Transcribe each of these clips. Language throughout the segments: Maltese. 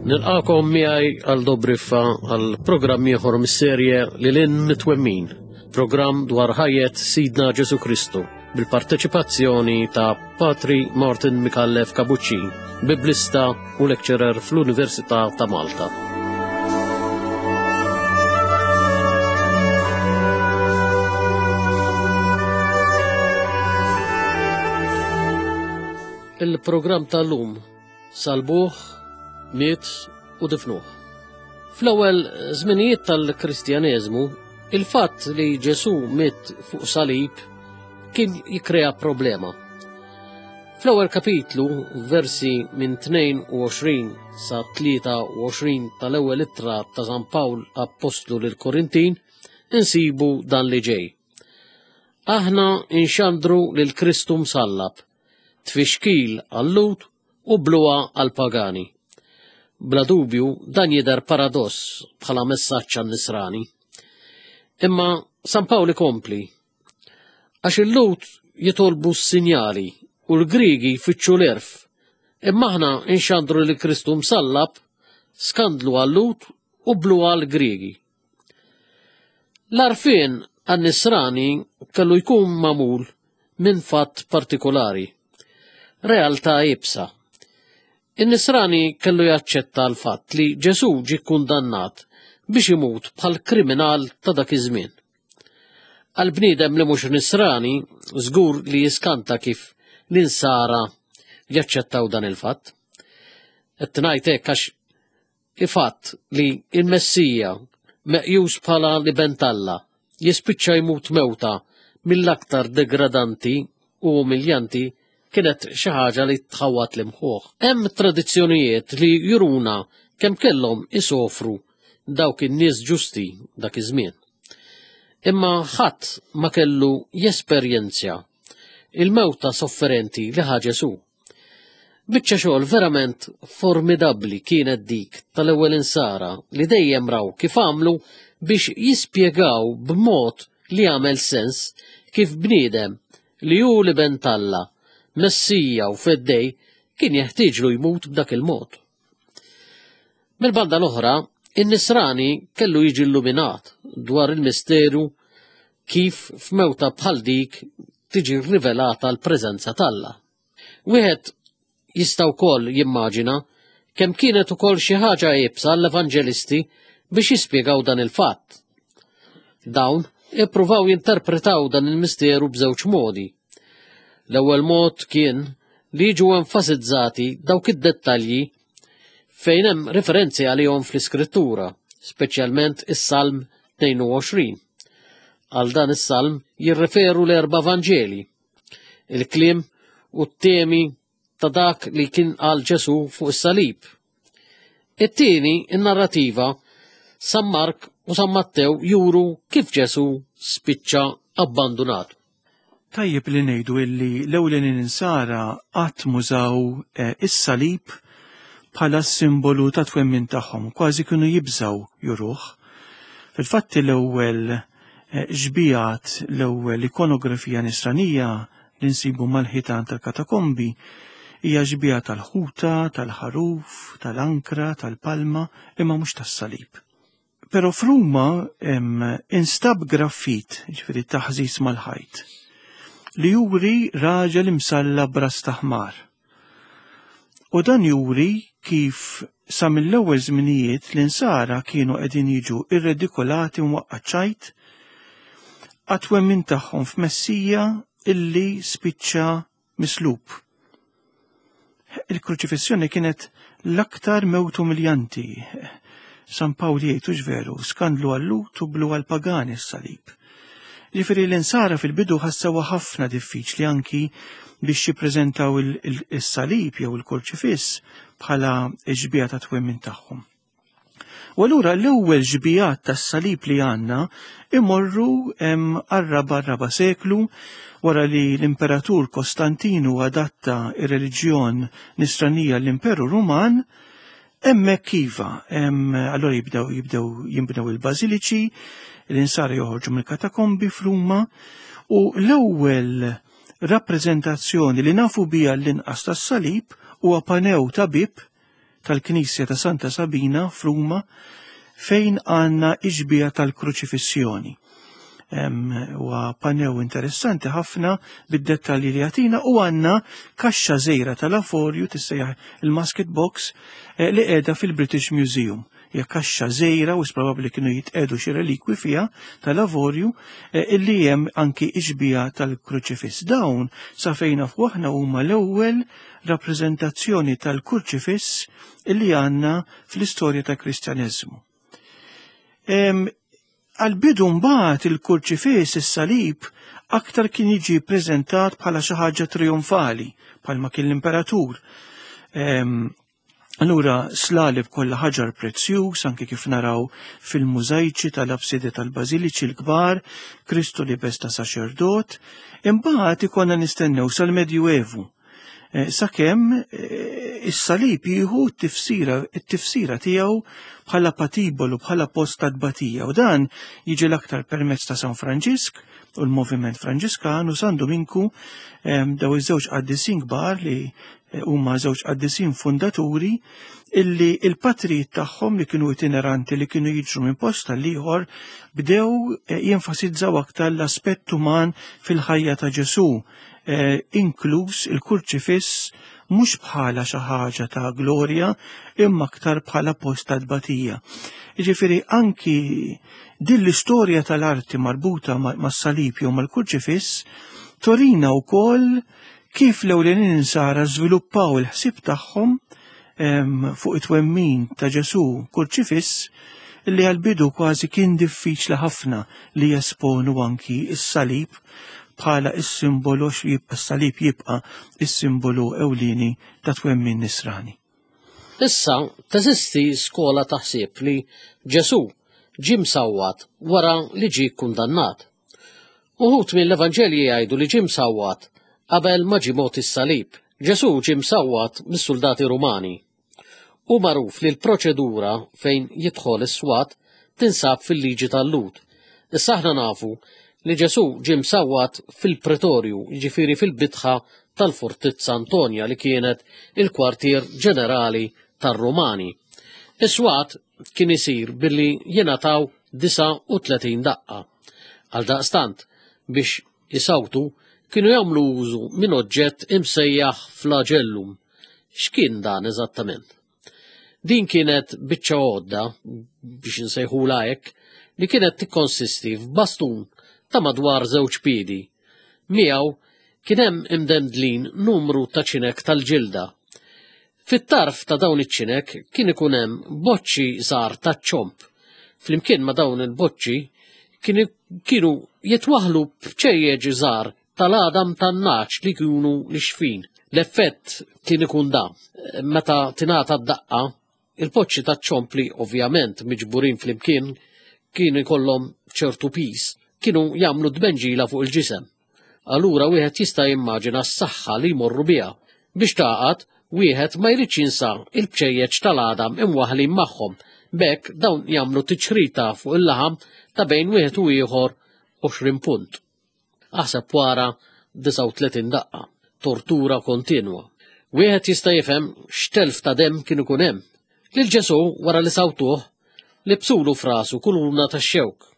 Nilqakom miegħi għal Dobriffa għal programm ieħor mis-serje Lil Hinn Mitwemmin, programm dwar ħajjet Sidna Ġesu Kristu bil-parteċipazzjoni ta' Patri Martin Micallef Capuccin, biblista u lecturer fl-Università ta' Malta. Il-programm tal-lum salbuh, miet u difnuh. Fl-ewwel żminijiet tal-Kristjaneżmu, il-fatt li Ġesù miet fuq salib kien jikkrea problema. Fl-ewwel kapitlu, versi minn 22 sa 23 tal-ewwel ittra ta' San Pawl Appostlu lil Korintin, insibu dan li ġej. Aħna inxandru lil Kristu msallab, tfixkil għal-Lhud u bluha għall-pagani. Bla dubju dan jidher paradoss bħala messaġġ għan-Nisrani. Imma San Pawl ikompli, Għax il-Lhud jitolbu s-sinjali u l-Griegi jfittxu l-għerf, imma aħna nxandru li Kristu msallab, skandlu għal-Lhud u bluha għall-Griegi. L-għarfien għan-Nisrani kellu jkun magħmul minn fatt partikolari, realtà iebsa. In-Nisrani kellu jaċċetta l-fatt li Ġesù ġie kkundannat biex imut bħal kriminal ta' dak iż-żmien. Għal bniedem li mhux Nisrani, żgur li jiskanta kif l-Insara jaċċettaw dan il-fatt. Qed ngħid hekk għax Il-fatt li l-Messija, meqjus bħala l-Iben t'Alla, jispiċċa jmut mewta mill-aktar degradanti u umiljanti kienet xi ħaġa li tħawwad l-imħuħ. Hemm tradizzjonijiet li juruna kemm kellhom isofru dawk in-nies ġusti dak iż-żmien. Imma ħadd ma kellu jesperjenzja il-mewta sofferenti li ħa Ġesù. Biċċa xogħol verament formidabbli kienet dik tal-ewwel insara li dejjem raw kif għamlu biex jispjegaw b'mod li jagħmel sens kif bniedem li hu l-Iben t'Alla, Messija u Feddej kien jeħtieġlu jmut b'dak il-mod. Mill-banda l-oħra, in-Nisrani kellu jiġi illuminat dwar il-misteru kif f'mewta bħal dik tiġi rivelata l-preżenza t'Alla. Wieħed jista' wkoll jimmaġina kemm kienet ukoll xi ħaġa iebsa għall-evanġelisti biex jispjegaw dan il-fatt. Dawn ippruvaw jinterpretaw dan il-misteru b'żewġ modi. L-ewwel mod kien li jiġu enfasizzati dawk id-dettalji fejn hemm referenzi għalihom fl-Iskrittura, speċjalment is-Salm 22. Għal dan is-salm jirreferu l-erba' Vanġeli. Il-kliem u t-temi ta' dak li kien qal Ġesu fuq is-salib. It-tieni, in-narrativa, San Mark u San Mattew juru kif Ġesu spiċċa abbandunat. Tajjeb li ngħidu illi l-ewlenin insara qatt mużaw eh, is-salib bħala simbolu ta' twemmin tagħhom, kważi kienu jibżaw juruh. Fil-fatt l-ewwel eh, xbijat l-ewwel ikonografija nisranija li nsibu mal-ħitan tal-katakombi hija xbija tal-ħuta, tal-ħaruf, tal-ankra, tal-palma, imma mhux tas-salib. Però f'Ruma instab graffit, ġifieri taħżiż mal-ħajt, li juri raġel imsalla b'ras ta' ħmar. U dan juri kif sa mill-ewwel żminijiet l-insara kienu qegħdin jiġu irredikolati mwaqqa' ċajt għat-twemmin tagħhom f'Messija illi spiċċa mislub. Il-kruċifissjoni kienet l-aktar mewt umiljanti. San Pawl jgħid hux veru, skandlu għal-Lhud u blu għall-pagani s-salib. Ġifieri l-insara fil-bidu ħassewha ħafna diffiċli anki biex jippreżentaw il-salib jew il-kurċifiss bħala xbieha ta' twemmin tagħhom. U allura l-ewwel xbijat tas-salib li għandna imorru għar-raba' raba' seklu wara li l-Imperatur Kostantinu adatta ir-reliġjon nisranija l-Imperu Ruman, hemmhekk iva, allura jibdew jibdew jinbnew il-bażiliċi, l-insara joħorġu mill-katakombi f'Ruma u l-ewwel rappreżentazzjoni li nafu biha l-inqas tas-salib huwa panew ta' bib. tal-Knisja ta' Santa Sabina f'Ruma fejn għandna ixbija tal-kruċifissjoni. Huwa panew interessanti ħafna bid-dettalji li jagħtina u għandna kaxxa żgħira tal-avorju tissejjaħ il-musket box eh, li qiegħda fil-British Museum. Hija kaxxa żgħira u probabbli kienu jitqegħdu xi relikwi fiha tal-avorju eh, illi hemm anki ixbija tal-kruċifiss. Dawn sa fejn nafu aħna huma l-ewwel rappreżentazzjoni tal-kurċifiss illi għandna fl-istorja tal-Kristjaneżmu. Għal-bidu mbagħad il-kurċifiss is-salib aktar kien jiġi ppreżentat bħala xi ħaġa trionfali, bħalma kien l-imperatur. Allura slaleb kollha ħaġar prezzjuż anke kif naraw fil-mużajċi tal-abside tal-bażiliċi l-kbar, Kristu libes ta' saċerdot, imbagħad ikonna nistennew sal-Medjuevu. Eh, sakemm eh, is-salib jieħu t-tifsira tiegħu bħala patibolu, bħala post ta' tbatija u dan jiġi l-aktar permezz ta' San Franġisk u l-Moviment Franġiskan u San Duminku eh, daw iż-żewġ qaddisin kbar li huma żewġ qaddisin fundaturi illi il-patrijiet tagħhom li kienu itineranti li kienu jiġru minn post għal ieħor bdew eh, jenfasizzaw aktar l-aspett uman fil-ħajja ta' Ġesù, eh, inkluż il-kurċifiss mhux bħala xi ħaġa ta' glorja imma aktar bħala post ta' tbatija. Jiġifieri anki din l-istorja tal-arti marbuta mas-salib jew mal-kurċifiss torina wkoll Kif l-ewlenin insara żviluppaw il-ħsieb tagħhom fuq it-twemmin ta' Ġesù kurċifiss li għal-bidu kważi kien diffiċli ħafna li jesponu anki s-salib bħala is-simbolu s-salib jibqa' is-simbolu ewlieni ta' twemmin nisrani. Issa teżisti skola ta' ħsieb li Ġesù ġie msawwat wara li ġie kkundannat. Uħud mill-Evanġelji jgħidu li ġie msawwat qabel ma ġie mogħti s-salib. Ġesù ġie msawwat mis-suldati Rumani. Hu magħruf li l-proċedura fejn jidħol is-swat tinsab fil-liġi tal-Lhud. Issa aħna nafu li Ġesù ġie msawwat fil-pretorju, jiġifieri fil-bitħa tal-Fortizza Antonja li kienet il-kwartier ġenerali tar-Rumani. Is-swat kien isir billi jingħataw 39 daqqa. Għaldaqstant, biex isawtu kienu jagħmlu użu minn oġġett imsejjaħ flagellum. X'kien dan eżattament? Din kienet biċċa għodda, biex insejħula hekk, li kienet tikkonsisti f'bastun ta' madwar żewġ piedi. Miegħu kien hemm imdendlin numru ta' ċinek tal-ġilda. Fit-tarf ta' dawn iċ-ċinek kien ikun hemm boċċi żgħar taċ-ċomb. Flimkien ma' dawn il-boċċi kienu jitwaħħlu bċejjeġ żgħar tal-għadam tan-nagħaġ li kienu nixfin. L-effett kien ikun da, meta tingħata d-daqqa, il-poċċi taċ-ċomb li ovvjament miġburin flimkien kienu jkollhom ċertu piż, kienu jagħmlu tbenġila fuq il-ġisem. Allura wieħed jista' jimmaġina s-saħħa li jmorru biha. Biex tagħqad, wieħed ma jridx jinsa il-bċejjeċ tal-għadam imwaħħlin magħhom, b'hekk dawn jagħmlu tiċrita fuq il-laħam ta' bejn wieħed u ieħor 20 punt. Aħseb wara 39 daqqa, tortura kontinwa. Wieħed jista' jifhem x'telf ta' demm kien ikun hemm. Lil Ġesù wara li sawtuh, libsulu f'rasu kuluna tax-xewk.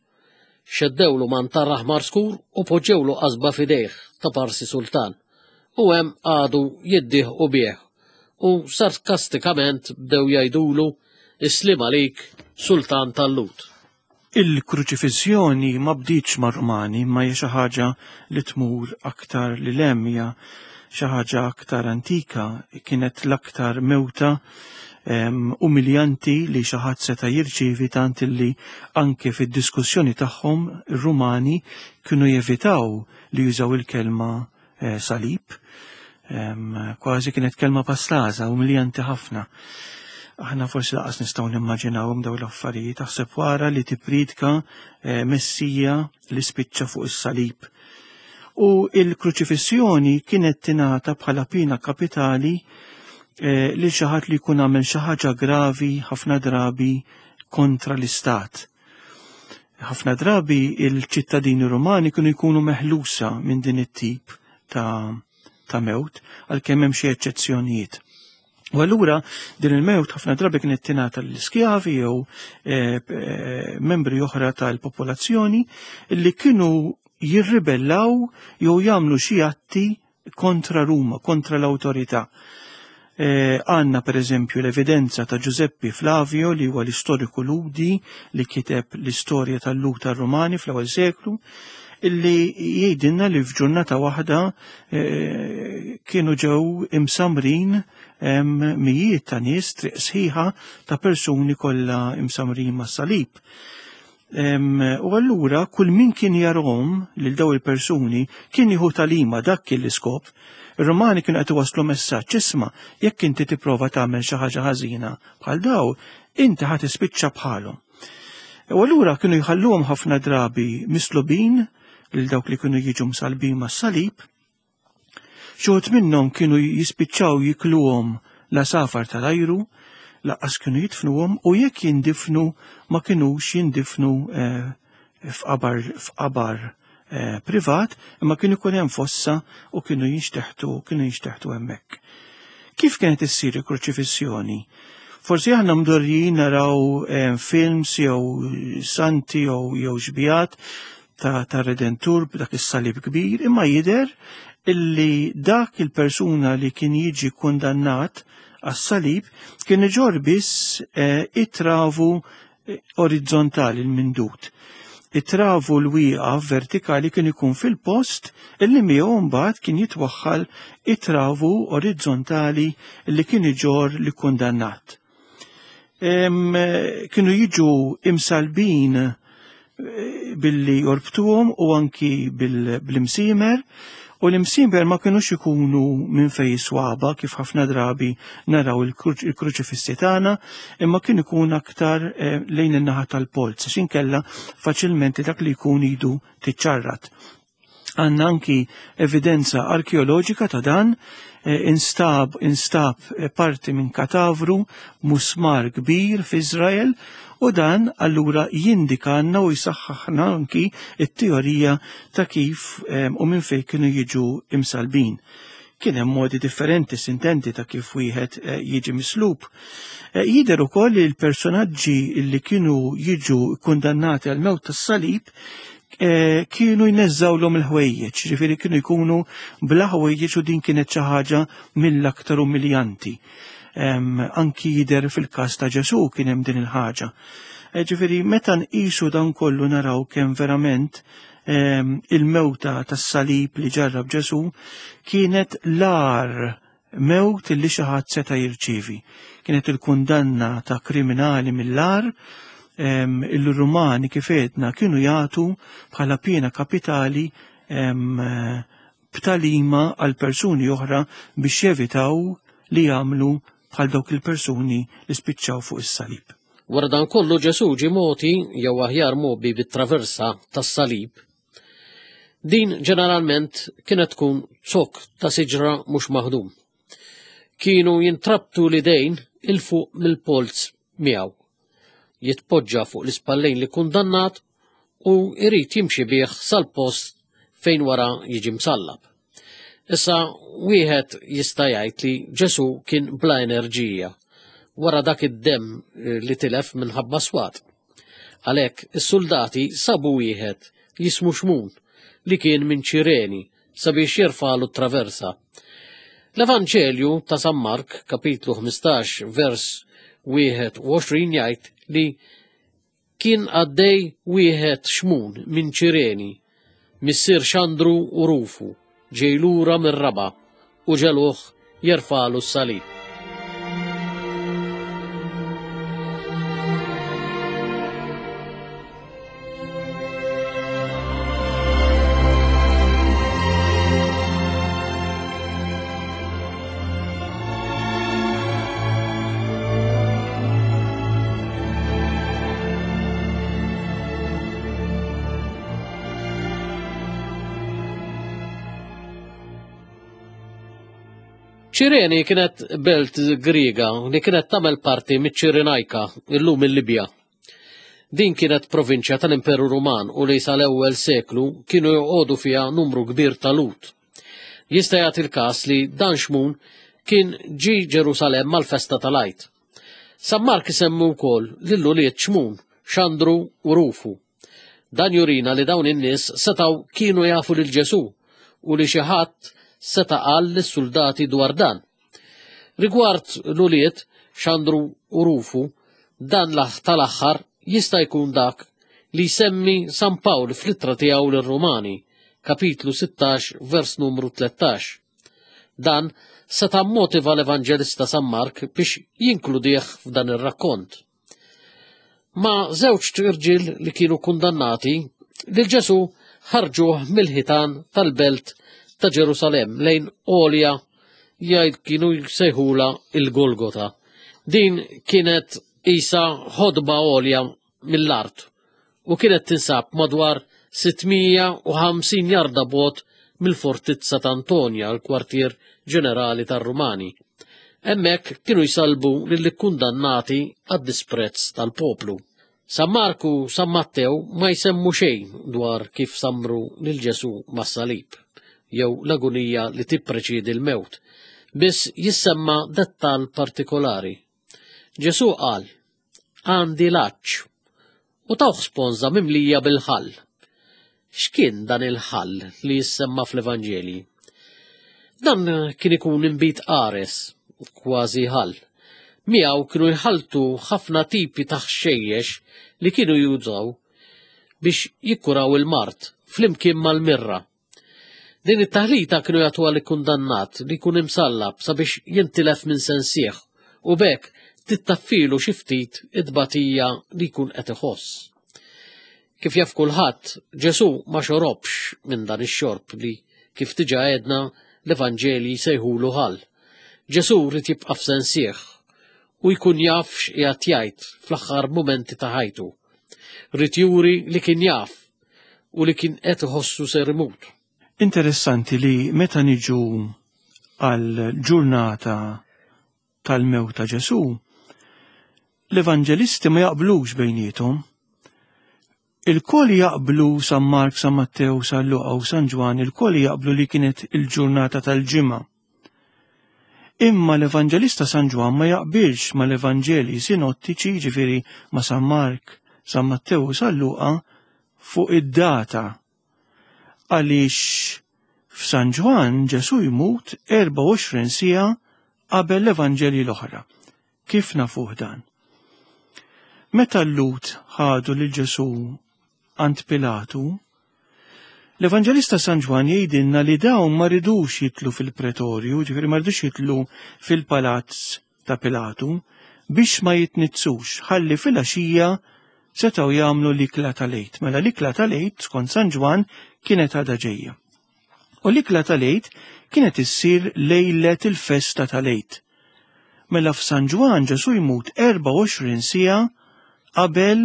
Xeddewlu mantar aħmar skur u poġġewlu qasba f'idejh ta' parsi sultan. U hemm qagħdu jiddieħqu bih u sarkastikament bdew jgħidulu Is-sliem għalik, sultan tal-Lhud. Il-kruċifissjoni ma bdietx mar-Rumani imma hija xi ħaġa li tmur aktar lil hemm, hija xi ħaġa aktar antika, kienet l-aktar mewta umiljanti li xi ħadd seta' jirċievi tant li anke fid-diskussjoni tagħhom ir-Rumani kienu jevitaw li jużaw il-kelma eh, salib. Kważi kienet kelma pastaża, umiljanti ħafna. Aħna forsi laqas nistgħu nimmaġinawhom dawn l-affarijiet, taħseb wara li tippriedka eh, Messija li spiċċa fuq is-salib. U il-kruċifissjoni kienet tingħata bħala pina kapitali eh, li xi ħadd li jkun għamel xi ħaġa gravi ħafna drabi kontra l-istat. Ħafna drabi il-ċittadini Rumani kienu jkunu meħlusa minn din it-tip ta', ta mewt, għalkemm hemm xi eċċezzjonijiet. U allura din il-mewt ħafna drabi kienet tingħata lill-iskjavi jew membri oħra tal-popolazzjoni li kienu jirribellaw jew jagħmlu xi atti kontra Ruma, kontra l-awtorità. Għandna per eżempju l-evidenza ta' Giuseppe Flavio li huwa l-istoriku Lhudi li kiteb l-istorja tal-Lhud tar-Rumani fl-ewwel seklu, illi jgħidilna li f'ġurnata waħda kienu ġew imsamrin mijiet ta' nies, triq sħiħa ta' persuni kollha imsamrin mas-salib. U allura kull min kien jarhom lil daw il-persuni kien jieħu talima, dak kien l-iskop. Ir-Rumani kienu qed iwasslu messaġġ, isma' jekk inti tipprova tagħmel xi ħaġa ħażina bħal daw, inti ħa tispiċċa bħalhom. U allura kienu jħalluhom ħafna drabi mislubin lil dawk li kienu jiġu msalbin mas-salib. Xi wħud minnhom kienu jispiċċaw jikluhom l-għasafar tal-ajru, laqqas kienu jidfnuhom u jekk jindifnu ma kinux jindifnu f'qabar, f'qabar privat, imma kien ikun hemm fossa u kienu jinxteħtu, kienu jinxteħtu hemmhekk. Kif kienet issir il-kruċifissjoni? Forsi aħna mdorrijin naraw films jew santi jew xbijat ta' Redentur b'dak is-salib kbir, imma jidher illi dak il-persuna li kien jiġi kundannat għas-salib kien iġorr biss it-travu orizzontali l-mindut. It-travu l-wieqaf vertikali kien ikun fil-post illi miegħu mbagħad kien jitwaħħal it-travu orizzontali li kien iġorr li kundannat. Kienu jiġu imsalbin billi jorbtuhom u anki bil-imsiemer, u l-imsiemer ma kinux ikunu minn fej swaba kif ħafna drabi naraw il-kruċifissi tagħna, imma kien ikun aktar lejn in-naħa tal-polz, għax inkella faċilment dak li jkun idu tiċċarrat. Għandna anki evidenza arkeoloġika ta' dan, instab parti minn katavru musmar kbir f'Iżrael, u dan allura jindikanna u jsaħħaħna anki it-teorija ta' kif u minn fejn kienu jiġu imsalbin. Kien hemm modi differenti sintenti ta' kif wieħed jiġi mislub. Jidher ukoll li l-personaġġi li kienu jiġu kundannati għal mewt tas-salib kienu jneżżawlhom il-ħwejjeġ, ġifieri kienu jkunu bla ħwejjeġ u din kienet xi ħaġa mill-aktar umiljanti. Anki jidher fil-każ ta' Ġesù kien hemm din il-ħaġa. Ġifieri meta nqisu dan kollu naraw kemm verament il-mewta tas-salib li ġarrab Ġesù kienet l-agħar mewt li xi ħadd seta' jirċievi. Kienet il-kundanna ta' kriminali mill-agħar, il-Rumani kif għedna kienu jagħtu bħala piena kapitali b'talima għal persuni oħra biex jevitaw li jagħmlu bħal dawk il-persuni li spiċċaw fuq is-salib. Wara dan kollu Ġesù ġie mogħti jew aħjar mgħobbi bit-traversa tas-salib. Din ġeneralment kienet tkun zokk ta' siġra mhux maħdum. Kienu jintrabtu l-idejn 'il fuq mill-polz miegħu. Jitpoġġa fuq l-ispallejn li kundannat u jrid jimxi bih sal-post fejn wara jiġi msallab. Issa wieħed jista' jgħid li Ġesù kien bla enerġija wara dak id-demm li tilef minħabba swat. Għalhekk is-suldati sabu wieħed jismu Xmun li kien minn Ċireni sabiex jerfagħlu t-traversa. L-Evanġelju ta' San Mark, kapitlu 15, vers 21 jgħid li kien għaddej wieħed Xmun minn Ċireni, missier Xandru u Rufu, ġej lura mir-raba' u ġegħluh jerfagħlu s-salib. Ċireni kienet belt Griega li kienet tagħmel parti miċ-Ċirenajka, illum il-Libja. Din kienet provinċja tal-Imperu Ruman u li sal-ewwel seklu kienu joqogħdu fiha numru kbir ta' Lhud. Jista' jagħti l-każ li dan Xmun kien ġie Ġerusalemm għall-festa tal-Għid. San Mark isemmi wkoll lil ulied Xmun, Xandru u Rufu. Dan jurina li dawn in-nies setgħu kienu jafu lil Ġesù u li xi ħadd seta' qal lis-suldati dwar dan. Rigward l-ulied Xandru u Rufu, dan tal-aħħar jista' jkun dak li jsemmi San Pawl fl-ittra tiegħu lir-Rumani, kapitlu 16 vers numru 13. Dan seta' mmotiva l-Evanġelista San Mark biex jinkludih f'dan ir-rakkont. Ma' żewġt irġiel li kienu kundannati, lil Ġesù ħarġuh mill-ħitan tal-belt ta' Ġerusalemm lejn għolja jgħid kienu jsejħulha il-Golgota. Din kienet isa ħodba għolja mill-art u kienet tinsab madwar 650 jarda bogħod mill-fortizza ta' Antonia, l-kwartier ġenerali tar-Rumani. Hemmhekk kienu jsallbu lill-ikkundannati għad-disprezz tal-poplu. San Mark u San Mattew ma jsemmu xejn dwar kif sammru lil Ġesù mas-salib, jew l-agunija li tippreċiedi l-mewt, biss jissemma dettall partikolari. Ġesù qal, Għandi l-għatx, u tawh sponża mimlija bil-ħall. X'kien dan il-ħall li jissemma fl-Evanġelji? Dan kien ikun inbid qares, kważi ħall. Miegħu kienu jħalltu ħafna tipi ta' ħxejjex li kienu jużaw biex jikkuraw il-mard flimkien mal-mirra. Din it-taħlita kienu jagħtuha lill-kundannat li jkun imsallab sabiex jintilef minn sensih u b'hekk tittaffilu xi ftit it-tbatija li jkun qed iħoss. Kif jaf kulħadd, Ġesù ma xorobx minn dan ix-xorb li, kif diġà għedna, l-Evanġelji jsejħulu ħall. Ġesù ried jibqa' f'sensih u jkun jaf x'qiegħed jgħid fl-aħħar mumenti ta' ħajtu. Ried juri li kien jaf u li kien qed iħossu ser imut. Interessanti li meta niġu għal ġurnata tal-mewt ta' Ġesù, l-evanġelisti ma jaqblux bejniethom. Il-koll jaqblu San Mark, San Mattew, San Luqa u San Ġwan, il-koll jaqblu li kienet il-ġurnata tal-ġimgħa. Imma l-Evanġelista San Ġwann ma jaqbilx mal-Evanġelji sinottiċi, jiġifieri ma' San Mark, San Mattew u San Luqa, fuq id-data. Għaliex f'San Ġwann Ġesù jmut 24 siegħa qabel l-Evanġelji l-oħra. Kif nafuh dan? Meta l-Lhud ħadu lil Ġesù għand Pilatu, l-Evanġelista San Ġwann jgħidilna li dawn ma ridux jitlu fil-pretorju, ġifieri ma ridux jitlu fil-palazz ta' Pilatu biex ma jitnizzux ħalli filgħaxija setgħu jagħmlu l-ikla tal-Għid. Mela l-ikla tal-Għid skont San Ġwann kienet għadha ġejja. U l-ikla tal-Għid kienet issir lejlet il-festa tal-Għid. Mela f'San Ġwann Ġesù jmut 24 siegħa qabel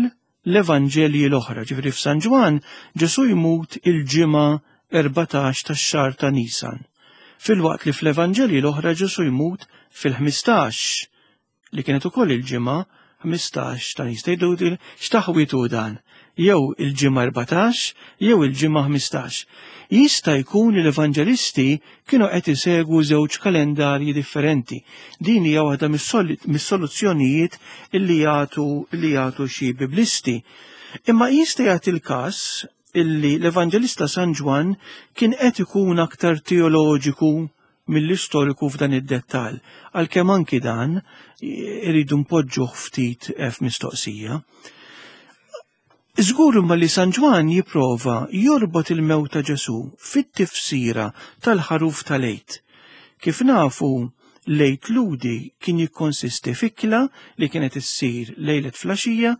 l-Evanġelji l-oħra. Ġifieri f'San Ġwann Ġesù jmut il-Ġimgħa 14 tax-xahar ta' Nisan. Filwaqt li fl-Evanġelji l-oħra Ġesù jmut fil-15 li kienet ukoll il-Ġimgħa 15 ta' Nisan. Tgħidu x'taħwit hu dan? Jew il-Ġimgħa 14 jew il-Ġimgħa 15. Jista' jkun li l-Evanġelisti kienu qed isegwu żewġ kalendarji differenti. Din hija waħda mis-soluzzjonijiet li jagħtu li jagħtu xi biblisti. Imma jista' jagħti l-każ illi l-Evanġelista San Ġwann kien qed ikun aktar teoloġiku mill-istoriku f'dan id-dettall, għalkemm anki dan iridu npoġġuh ftit f'mistoqsija. Żgur imma li San Ġwann jipprova jorbot il-mewt ta' Ġesù fit-tifsira tal-ħaruf tal-Għid. Kif nafu, l-Għid Lhudi kien jikkonsisti f'ikla li kienet issir lejlet flaxija,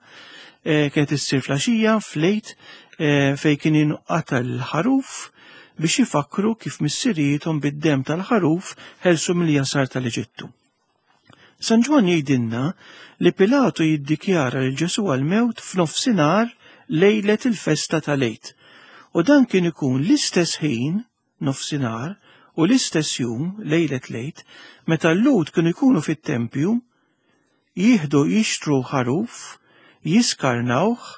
eh, kienet issir flaxija fl-Għid eh, fejn kien jinqata l-ħaruf biex jifakru kif missirijiethom bid-demm tal-ħaruf ħelsu mill-jasar tal-Eġittu. San Ġwann jgħidilna li Pilatu jiddikjara lil Ġesù għall-mewt f'nofsinhar lejlet il-festa tal-Għid. U dan kien ikun l-istess ħin, nofsinhar, u l-istess jum, lejlet l-Għid, meta l-Lhud kienu jkunu fit-tempju, jieħdu jixtru ħaruf, jiskarnawh,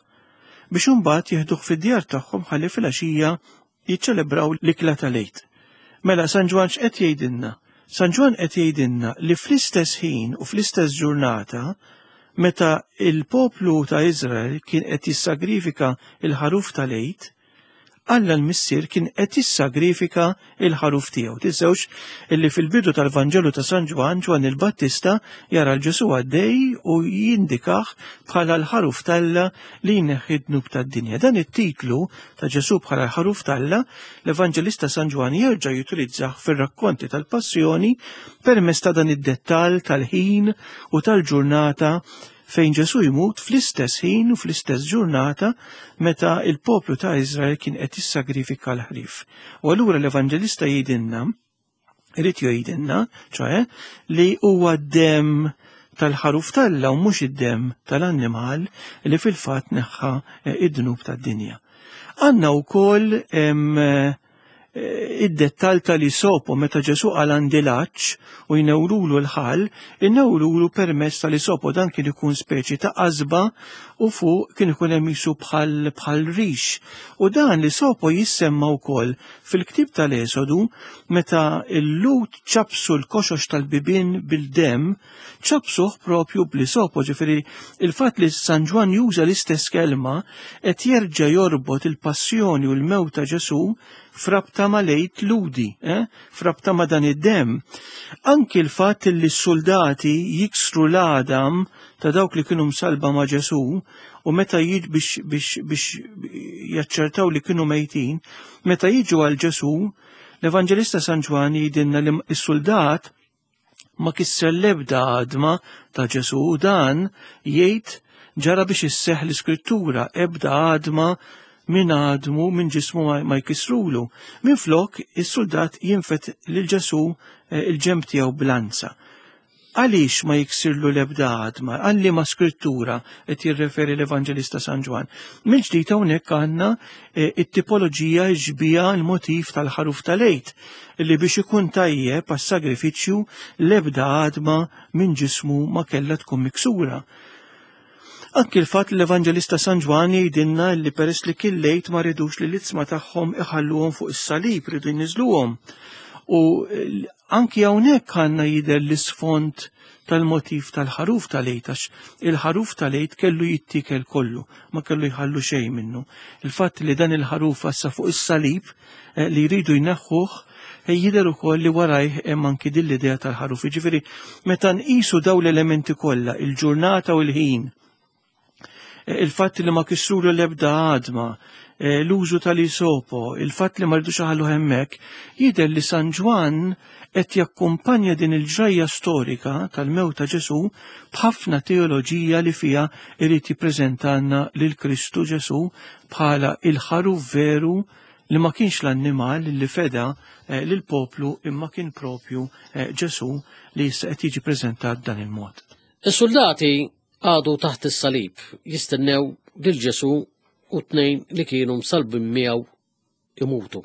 biex imbagħad jieħduh fid-djar tagħhom ħalli filgħaxija jiċċelebraw l-ikla tal-Għid. Mela San Ġwann x'qed jgħidilna? San Ġwann qed jgħidilna li fl-istess ħin u fl-istess ġurnata meta il-poplu ta' Iżrael kien qed jissagrifika il-ħaruf tal-Għid, Alla l-Missier kien qed jissagrifika il-ħaruf tiegħu. Tinsewx illi fil-bidu tal-Vanġelu ta' San Ġwann, Ġwann il-Battista jara l-Ġesu għaddej u jindikah bħala l-ħaruf t'Alla li jneħħi d-dnub tad-dinja. Dan it-titlu ta' Ġesu bħala l-ħaruf t'Alla, l-Evanġelista San Ġwann jerġa' jutilizzah fir-rakkonti tal-Passjoni permezz ta' dan id-dettall tal-ħin u tal-ġurnata fejn Ġesu jmut fl-istess ħin u fl-istess ġurnata meta il-poplu ta' Izrael kien qed jissagrifika l-ħrief. U allura l-Evanġelista jgħidilna, irid jgħidilna, ċoe, li huwa d-demm tal-ħaruf t'Alla u mhux id-demm tal-annimal li fil-fatt neħħa eh, id-dnub tad-dinja. Għandna wkoll Eh, id-dettal tal-isopo meta Ġesu qal għandi l-għatx u jnewrulu l-ħal, inewrulu permezz tal-isopo dan kien ikun speċi ta' qasba u fuq kien ikun hemm jisu bħal bħal rix. U dan l-isopo jissemma wkoll fil-ktieb tal-Esodu meta l-Lut ċapsu l-koxox tal-bibien bil-demm, ċapsuh propju bl-isopo, ġifieri il-fatt li San Ġwann juża l-istess kelma qed jerġa' jorbot il-passjoni u l-mewt ta' Ġesu frabta ma' lejt ludi, eh? frabta ma' dan id-demm. Anki l-fatt li s-soldati jiksru l-għadam ta' dawk li kienu msalba ma' Ġesu u meta jiġ biex, biex, biex jaċċertaw li kienu mejtin, meta jiġu għal Ġesu, l-Evanġelista San Ġwann jgħidilna li s-soldat ma kisser l-ebda għadma ta' Ġesu u dan jgħid ġara biex isseħ l-iskrittura ebda għadma minn għadmu minn ġismu ma jkissrulu. Minn flok is-soldat jinfet lil Ġesu eh, il-ġemb tiegħu blanza. Għaliex ma jiksirlu l-ebda għadma? Għal liema skrittura qed jirreferi l-Evanġelista San Ġwann? Mill-ġdid hawnhekk għandna eh, it-tipoloġija xbija l-motiv tal-ħaruf tal-Għid li biex ikun tajjeb għas-sagrifiċċju l-ebda għadma minn ġismu ma kellha tkun miksura. Anki l-fatt li l-Evanġelista San Ġwann jgħidilna li peress li kien lejt ma ridux li l-itzma tagħhom iħalluhom fuq is-salib, ridu jniżluhom. U Anki hawnhekk għandna jidher l-isfond tal-motiv tal-ħaruf tal-Għid għax il-ħaruf tal-Għid kellu jittiekel kollu, ma kellu jħallu xejn minnu. Il-fatt li dan il-ħaruf issa fuq is-salib eh, li jridu jneħħuh eh, jidher ukoll li warajh hemm anki din l-idea tal-ħaruf. Jiġifieri meta nqisu dawn l-elementi kollha, il-ġurnata u l-ħin, il-fatt li ma kissuru l-ebda għadma, eh, l-użu tal-isopo, il-fatt li ma rridux iħallu hemmhekk, jidher li San Ġwann qed jakkumpanja din il-ġrajja storika tal-mewt ta' Ġesù b'ħafna teoloġija li fiha irid jippreżentalna lil Kristu Ġesù bħala il-ħaruf veru li ma kienx l-annimal li feda eh, lill-poplu imma kien propju eh, Ġesù li issa qed jiġi preżentat dan il-mod. Is-soldati Qagħdu taħt is-salib jistennew lil Ġesù u t-tnejn li kienu msallbin miegħu imutu.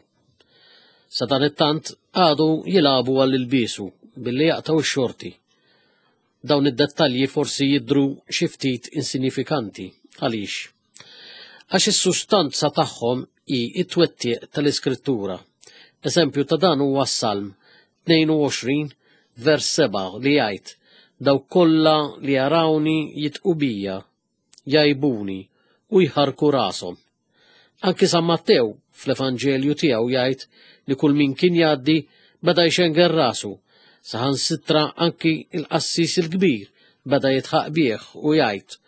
Sadanittant qagħdu jilagħbu għal ilbiesu billi jaqtgħu x-xorti. Dawn id-dettalji forsi jidhru xi ftit insinjifikanti. Għaliex? Għax is-sustanza tagħhom hi t-twettiq tal-Iskrittura. Eżempju ta' dan huwa s-Salm 22 vers 7 li jgħid, Dawk kollha li jarawni jidqu bija, jgħibuni u jħarrku rashom. Anki San Mattew fl-Evanġelju tiegħu jgħid li kull min kien jgħaddi beda jxenger rasu, saħansitra anki l-qassis il-kbir beda jidħaq bih u jgħid,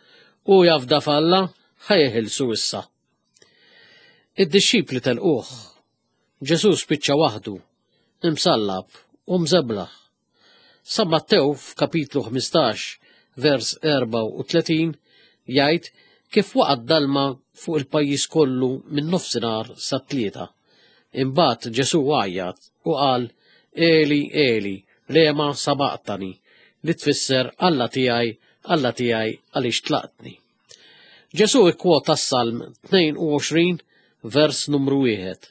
Hu jafda f'Alla, ħa jeħilsu issa. Id-dixxipli telquh. Ġesù spiċċa waħdu, imsallab u mżeblaħ. San Mattew f'kapitlu 15 vers 34 jgħid kif waqa' d-dalma fuq il-pajjiż kollu minn nofsinhar sat-tlieta. Imbagħad Ġesù għajjat u qal, Eli, Eli, lema sabaqtani, li tfisser Alla tiegħi, Alla tiegħi għaliex tlaqtni. Ġesù ikkwota s-Salm 22 vers numru 1.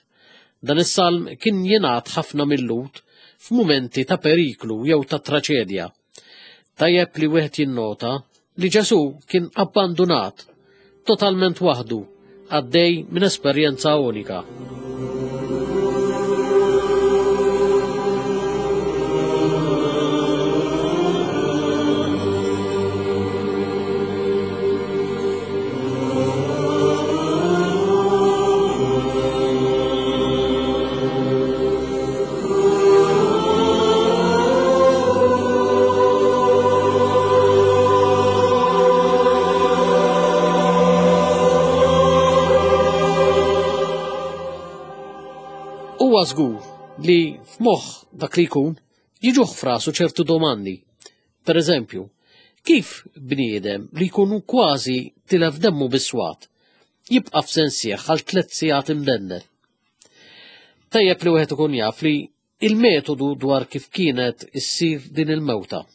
Dan is-salm kien jingħad ħafna mil-Lhud f'mumenti ta' periklu jew ta' traċedja. Tajjeb li wieħed jinnota li Ġesù kien abbandunat, totalment waħdu, għaddej minn esperjenza unika. Huwa żgur li f'moħħ dak li jkun jiġuh f'rasu ċertu domandi. Per eżempju, kif bniedem li jkun kważi tilef demmu bis-swat jibqa' f'sensieħ għal tliet sigħat imdendel? Tajjeb li wieħed ikun jaf li il-metodu dwar kif kienet issir din il-mewta.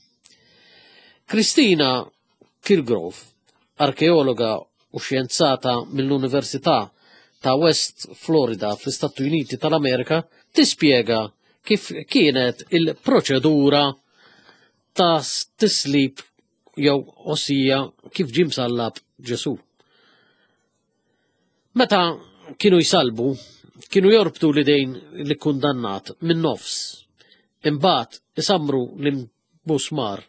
Kristina Kilgrove, arkeologa u xjenzata mill-Università ta' West Florida fl-Istati Uniti tal-Amerika, tispjega kif kienet il-proċedura ta' tislib jew osija kif ġie msallab Ġesù. Meta kienu jsalbu, kienu jorbtu l-idejn li kundannat minn nofs. Imbagħad isamru l-musmar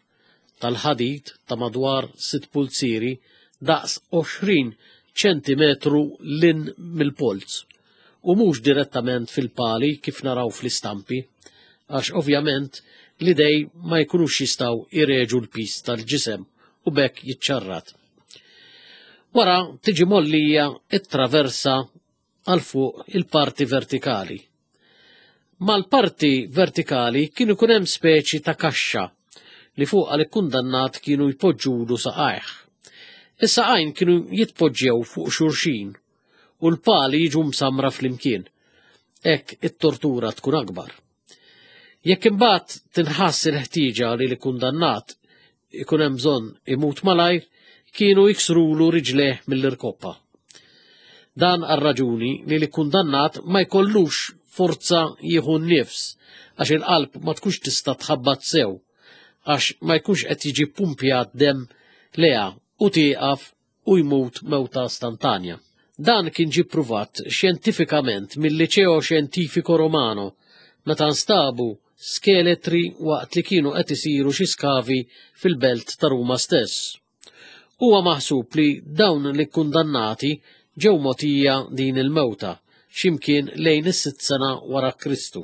tal-ħadid ta' madwar sitt pulzieri daqs 20 ċentimetru lin mill-polz u mhux direttament fil-pali kif naraw fl-istampi, għax ovvjament l-idej ma jkunux jistgħu jreġu l-piż tal-ġisem u b'hekk jiċċarrat. Wara tiġi mollija it-traversa għal fuq il-parti vertikali. Mal-parti vertikali kien ikun hemm speċi ta' kaxxa li fuqha l-ikkundannat kienu jpoġġulu saqajh. Is-saqajn kienu jitpoġġew fuq xulxin u l-pali jiġu msammra flimkien. Hekk it-tortura tkun akbar. Jekk imbagħad tinħass il-ħtieġa li l-ikkundannat ikun hemm bżonn imut malajr, kienu jiksrulu riġlejh mill-irkoppa. Dan għar-raġuni li l-ikkundannat ma jkollux forza jieħu n-nifs għax il-qalb ma tkunx tista' tħabbat sew għax ma jkunx qed jiġi ppumpjat demm lejha u tieqaf u jmut mewta stantanja. Dan kien ġie ppruvat xjentifikament mil-Liceo Scientifico Romano meta nstabu skeletri waqt li kienu qed isiru xi skavi fil-belt ta' Ruma stess. Huwa maħsub li dawn l-ikkundannati ġew mogħtija din il-mewta x'imkien lejn is-sitt sena wara Kristu.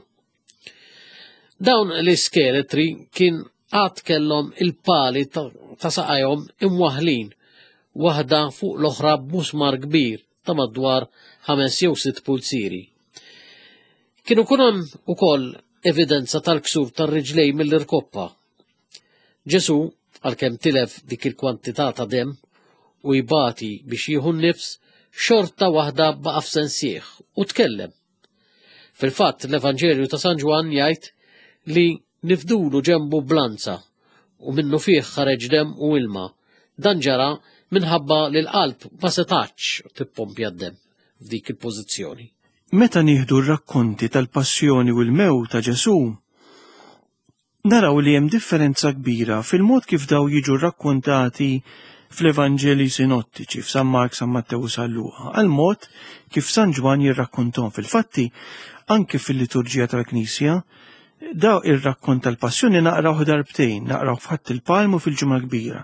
Dawn l-iskeletri kien għad kellhom il-pali ta' saqajhom imwaħħlin waħda fuq l-oħra b'musmar kbir ta' madwar ħames jew sitt pulzieri. Kien ikun hemm ukoll evidenza tal-ksur tar-riġlej mill-irkoppa. Ġesù, għalkemm tilef dik il-kwantità ta' demm u jbati biex jieħu n-nifs, xorta waħda baqa' f'sensih u tkellem. Fil-fatt, l-Evanġelju ta' San Ġwann jgħid li nifdulu ġenbu b'lanza u minnu fih ħareġ demm u ilma. Dan ġara minħabba li l-qalb ma setgħatx tippompja d-demm f'dik il-pożizzjoni. Meta nieħdu r-rakkonti tal-passjoni u l-mewt ta' Ġesù, Naraw li hemm differenza kbira fil-mod kif daw jiġu rrakkontati fl-Evanġelji sinottiċi, f'San Mark, San Mattew u San Luqa, għal mod kif San Ġwann jirrakkontom. Fil-fatti, anke fil-liturġija tal-Knisja, daw ir-rakkont tal-Passjoni naqrawh darbtejn, naqrawh f'Ħadd il-Palm u fil-Ġimgħa Kbira.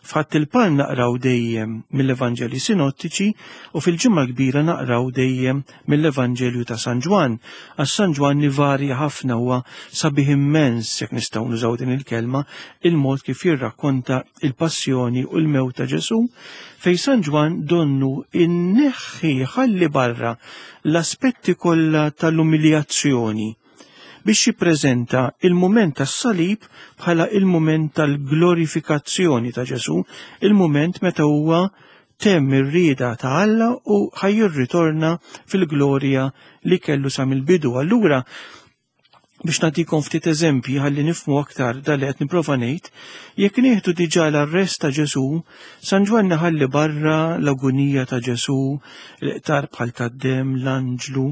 F'Ħadd il-Palm naqraw dejjem mill-Evanġelji Sinottiċi u fil-Ġimgħa l-Kbira naqraw dejjem mill-Evanġelju ta' San Ġwann, għax San Ġwann ivarja ħafna huwa sabiħ immens, jekk nistgħu nużaw din il-kelma, il-mod kif jirrakkonta il-passjoni u l-mewt ta' Ġesù, fejn San Ġwann donnu inneħħi ħalli barra l-aspetti kollha tal-umiljazzjoni biex jippreżenta il-mument tas-salib bħala il-mument tal-glorifikazzjoni ta' Ġesù, il-mument meta huwa temm ir-rieda ta' Alla u ħajjirritorna fil-glorja li kellu sa mill-bidu. Allura, biex nagħtikom ftit eżempji ħalli nifhmu aktar dal li qed nipprova ngħid, jekk nieħdu diġà l-arrest ta' Ġesù, San Ġwann iħalli barra l-agunija ta' Ġesù, l-qtar bħal tad-demm, l-anġlu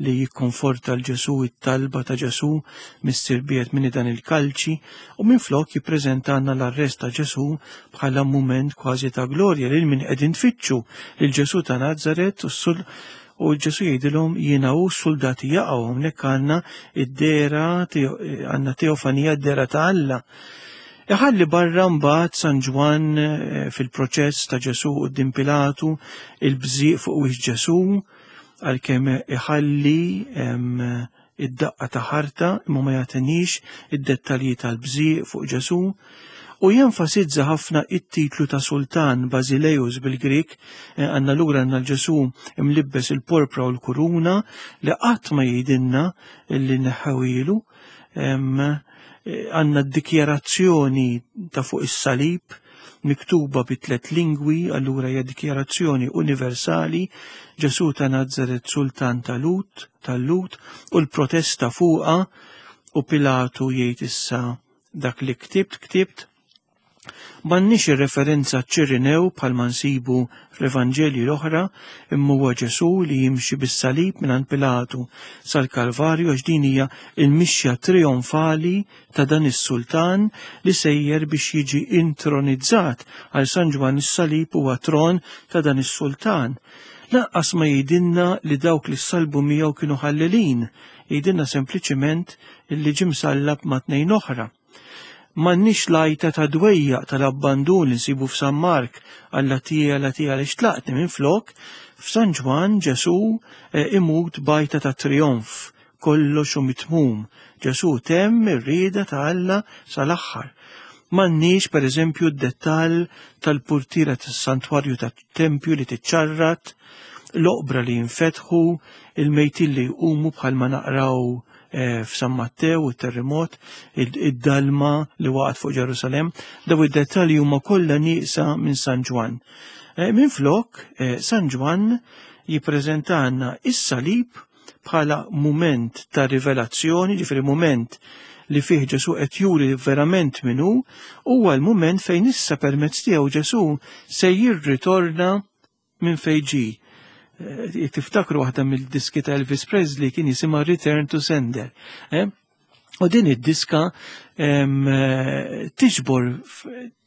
li jikkonforta l Ġesù, it-talba ta' Ġesù, Missier biegħed minni dan il-kalċi, u minflok jippreżentalna l-arrest ta' Ġesù bħala mument kważi ta' glorja lil min qegħdin tfittxu, lil Ġesù ta' Nazaret u U Ġesù jgħidilhom jiena hu s-suldati jaqgħu hawnhekk għandna id-dehra għandna teofanija d-dehra ta' Alla. Iħalli barra mbagħad San Ġwann eh, fil-proċess ta' Ġesù quddiem Pilatu il-bżieq fuq wiex Ġesù għalkemm iħalli id-daqqa ta' ħarta imma ma jagħtinix id-dettalji tal-bżieq fuq Ġesù. U jenfasizza ħafna it-titlu ta' sultan Basileus bil-Grik, eh, għanna lura għanna l-Ġesu imlibbes il-porpra u l-kuruna li qatt ma jgħidilna li neħħawilu. Eh, għanna d-dikjarazzjoni ta' fuq is-salib miktuba bi tlet lingwi, allura hija dikjarazzjoni universali, Ġesu ta' Nazaret sultan tal-Lut, tal-Lut, u l-protesta fuqa u Pilatu jgħid issa dak li ktibt ktibt. M'għandniex ir-referenza ċ-Ċirinew bħalma nsibu fl-Evanġelji l-oħra, imma huwa Ġesù li jimxi bis-salib mingħand Pilatu sal-Kalvarju għax din hija l-mixja trijonfali ta' dan is-sultan li sejjer biex jiġi intronizzat għal San Ġwann is-salib huwa tron ta' dan is-sultan. Lanqas ma jgħidilna li dawk li ssalbu miegħu kienu ħallelin, jgħidilna sempliċiment li ġie msallab ma' tnejn oħra. M'għandniex l-għajta ta' dwejjaq tal-abbandun li nsibu f'San Mark, Alla tiegħi, Alla tiegħi għaliex tlaqtni minflok, f'San Ġwann Ġesù eh, imut b'għajta ta' trijonf, kollox hu mitmum. Ġesù temm ir-rieda ta' Alla sal-aħħar. M'għandniex pereżempju d-dettall tal-purtiera tas-santwarju tat-tempju li tiċċarrat, l-oqbra li jinfetħu, il-mejtin li jqumu bħalma naqraw eh, f'San Mattew, it-terremot, id-dalma li waqgħet fuq Ġerusalemm, daw id-dettalji huma kollha nieqsa minn San Ġwann. Eh, Minflok, eh, San Ġwann jippreżentanna is-salib bħala mument ta' rivelazzjoni, ġifieri mument li fih Ġesu qed juri verament min hu, huwa l-mument fejn issa permezz tiegħu Ġesu se jirritorna minn fejn ġie. Eh, tiftakru waħda mill-diski ta' Elvis Presley kien jisimha Return to Sender. Eh? U din id-diska eh, tiġbor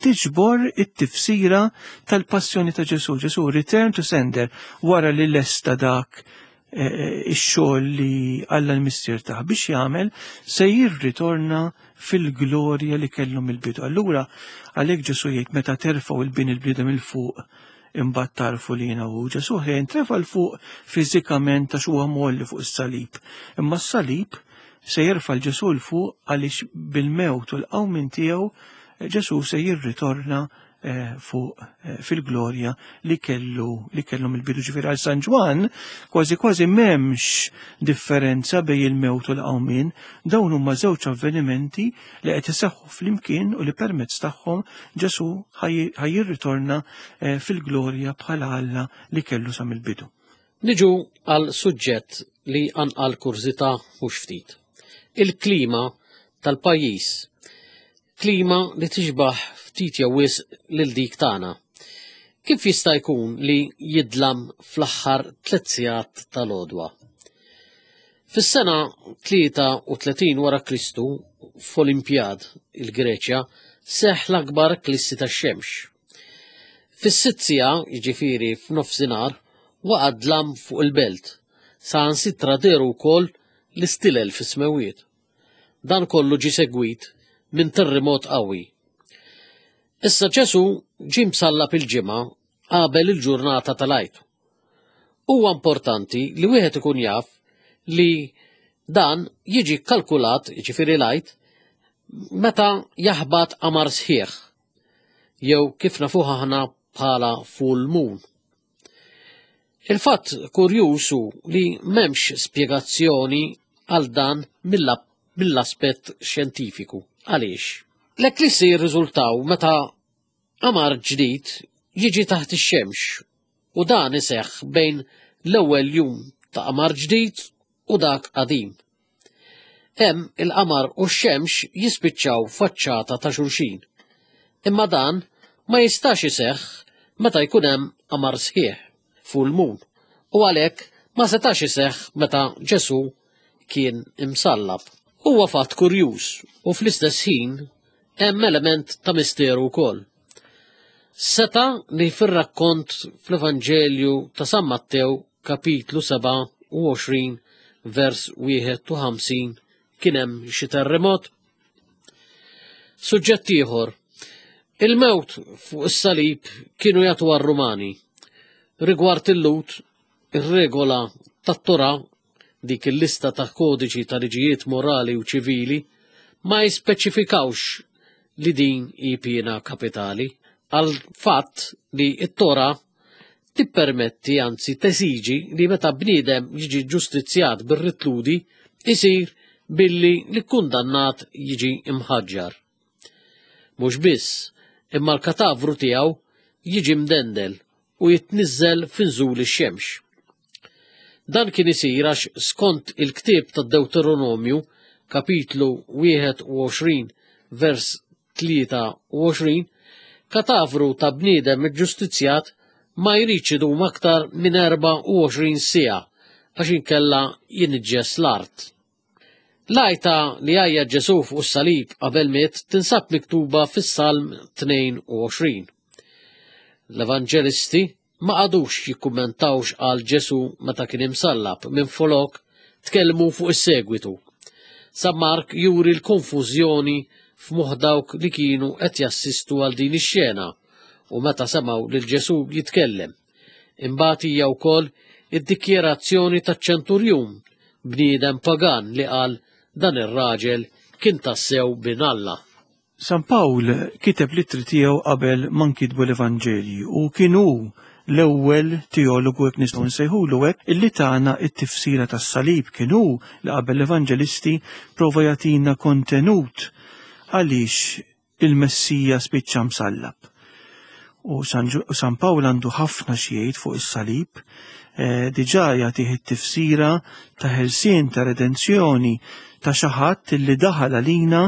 tiġbor it-tifsira tal-passjoni ta' Ġesu. Ġesu Return to Sender wara li lesta dak ix-xogħol li Alla l-Missier tah biex jagħmel se jirritorna fil-glorja li kellu mill-bidu. Allura għalhekk Ġesu jgħid meta terfgħu il-bin il-bniedem il fuq imbagħad tarfu li jiena hu. Ġesu ħejn trefa' l fuq fiżikament għax huwa molli fuq is-salib. Imma s-salib se jerfa' l-Ġesu l fuq għaliex bil-mewt u l-qawmien tiegħu Ġesu se jirritorna Eh, fuq eh, fil-glorja li kellu li kellhom il-bidu ġifieri għal San Ġwann kważi kważi m'hemmx differenza bejn il-mewt u l-qawmien, dawn huma żewġ avvenimenti li qed iseħħu flimkien u li permezz tagħhom Ġesu ħajjirritorna eh, fil-glorja bħala Alla li kellu sa mill-bidu. Niġu għal suġġett li anqal kurżità mhux ftit. Il-klima tal-pajjiż Klima li tixbah ftit jew wisq lil dik tagħna. Kif jista' jkun li jidlam fl-aħħar tliet sigħat tal-għodwa? Fis-sena 33 wara Kristu, f'Olimpjad, il-Greċja, seħħ l-akbar eklissi tax-xemx. Fis-sitt siegħa, jiġifieri f'nofsinhar, waqa' dlam fuq il-belt, saħansitra dehru wkoll l-istilel fis-smewwiet. Dan kollu ġie segwit minn terremot qawwi. Issa Ġesù ġie msallab il-Ġimgħa qabel il-ġurnata tal-Għid. Huwa importanti li wieħed ikun jaf li dan jiġi kkalkulat, jiġifieri l-Għid, meta jaħbat qamar sħiħ, jew kif nafuh aħna bħala full moon. Il-fatt kurjuż hu li m'hemmx spjegazzjoni għal dan mill-aspett xjentifiku. Għaliex? L-eklissi jirriżultaw meta qamar ġdid jiġi taħt ix-xemx u dan iseħħ bejn l-ewwel jum ta' qamar ġdid u dak qadim. Hemm il-qamar u x-xemx jispiċċaw faċċata ta' xulxin. Imma dan ma jistax iseħħ meta jkun hemm qamar sħiħ, full moon, u għalhekk ma setax iseħħ meta Ġesù kien imsallab. Huwa fatt kurjuż u fl-istess ħin hemm element ta' misteru wkoll. Seta' li fir-rakkont fl-Evanġelju ta' San Mattew kapitlu 27 vers 51 kien hemm xi terremot? Suġġett ieħor. Il-mewt fuq is-salib kienu jagħtu għar-Rumani. Rigward il-Lut, ir-regola tat-Torah, dik il-lista ta' kodiċi ta' liġijiet morali u ċivili, ma jispeċifikawx li din hi piena kapitali għal fatt li t-Tora tippermetti anzi tesiġi li meta bniedem jiġi ġustizzjat bir-ritludi isir billi l-kundannat jiġi imħaġġar. Mhux biss, imma l-katavru tiegħu jiġi mdendel u jitniżżel f'inżul ix-xemx. Dan kien isir għax skont il-ktieb tad-Dewteronomju, kapitlu 21 vers 23, katavru ta' bniedem iġġustizzjat ma jridx idum aktar minn 24 siegħa għax inkella jiniġġes l-art. L-għajta li għajja Ġesù fuq is-salib qabel miet tinsab miktuba fis-Salm 22. L-Evanġelisti ma qagħdux jikkummentaw x'qal Ġesù meta kien imsallab, minflok tkellmu fuq is-segwitu. San Mark juri l-konfużjoni f'moħħ dawk li kienu qed jassistu għal din ix-xena u meta semgħu lil Ġesù jitkellem. Imbagħad hija wkoll id-dikjerazzjoni taċ-ċenturjun, bniedem pagan li qal dan ir-raġel kien tassew bin Alla. San Pawl kiteb l-ittri tiegħu qabel ma nkitbu l-Evanġelji u kien hu l-ewwel teologu hekk nistgħu nsejħulu hekk illi tana t-tifsira tas-salib kien hu li qabel l-Evanġelisti prova jagħtina kontenut għaliex il-Messija spiċċa msallab. U San Pawl għandu ħafna xi jgħid fuq is-salib, eh, diġà jagħtih it-tifsira ta' ħelsien ta' redenzjoni ta' xi ħadd li daħal għalina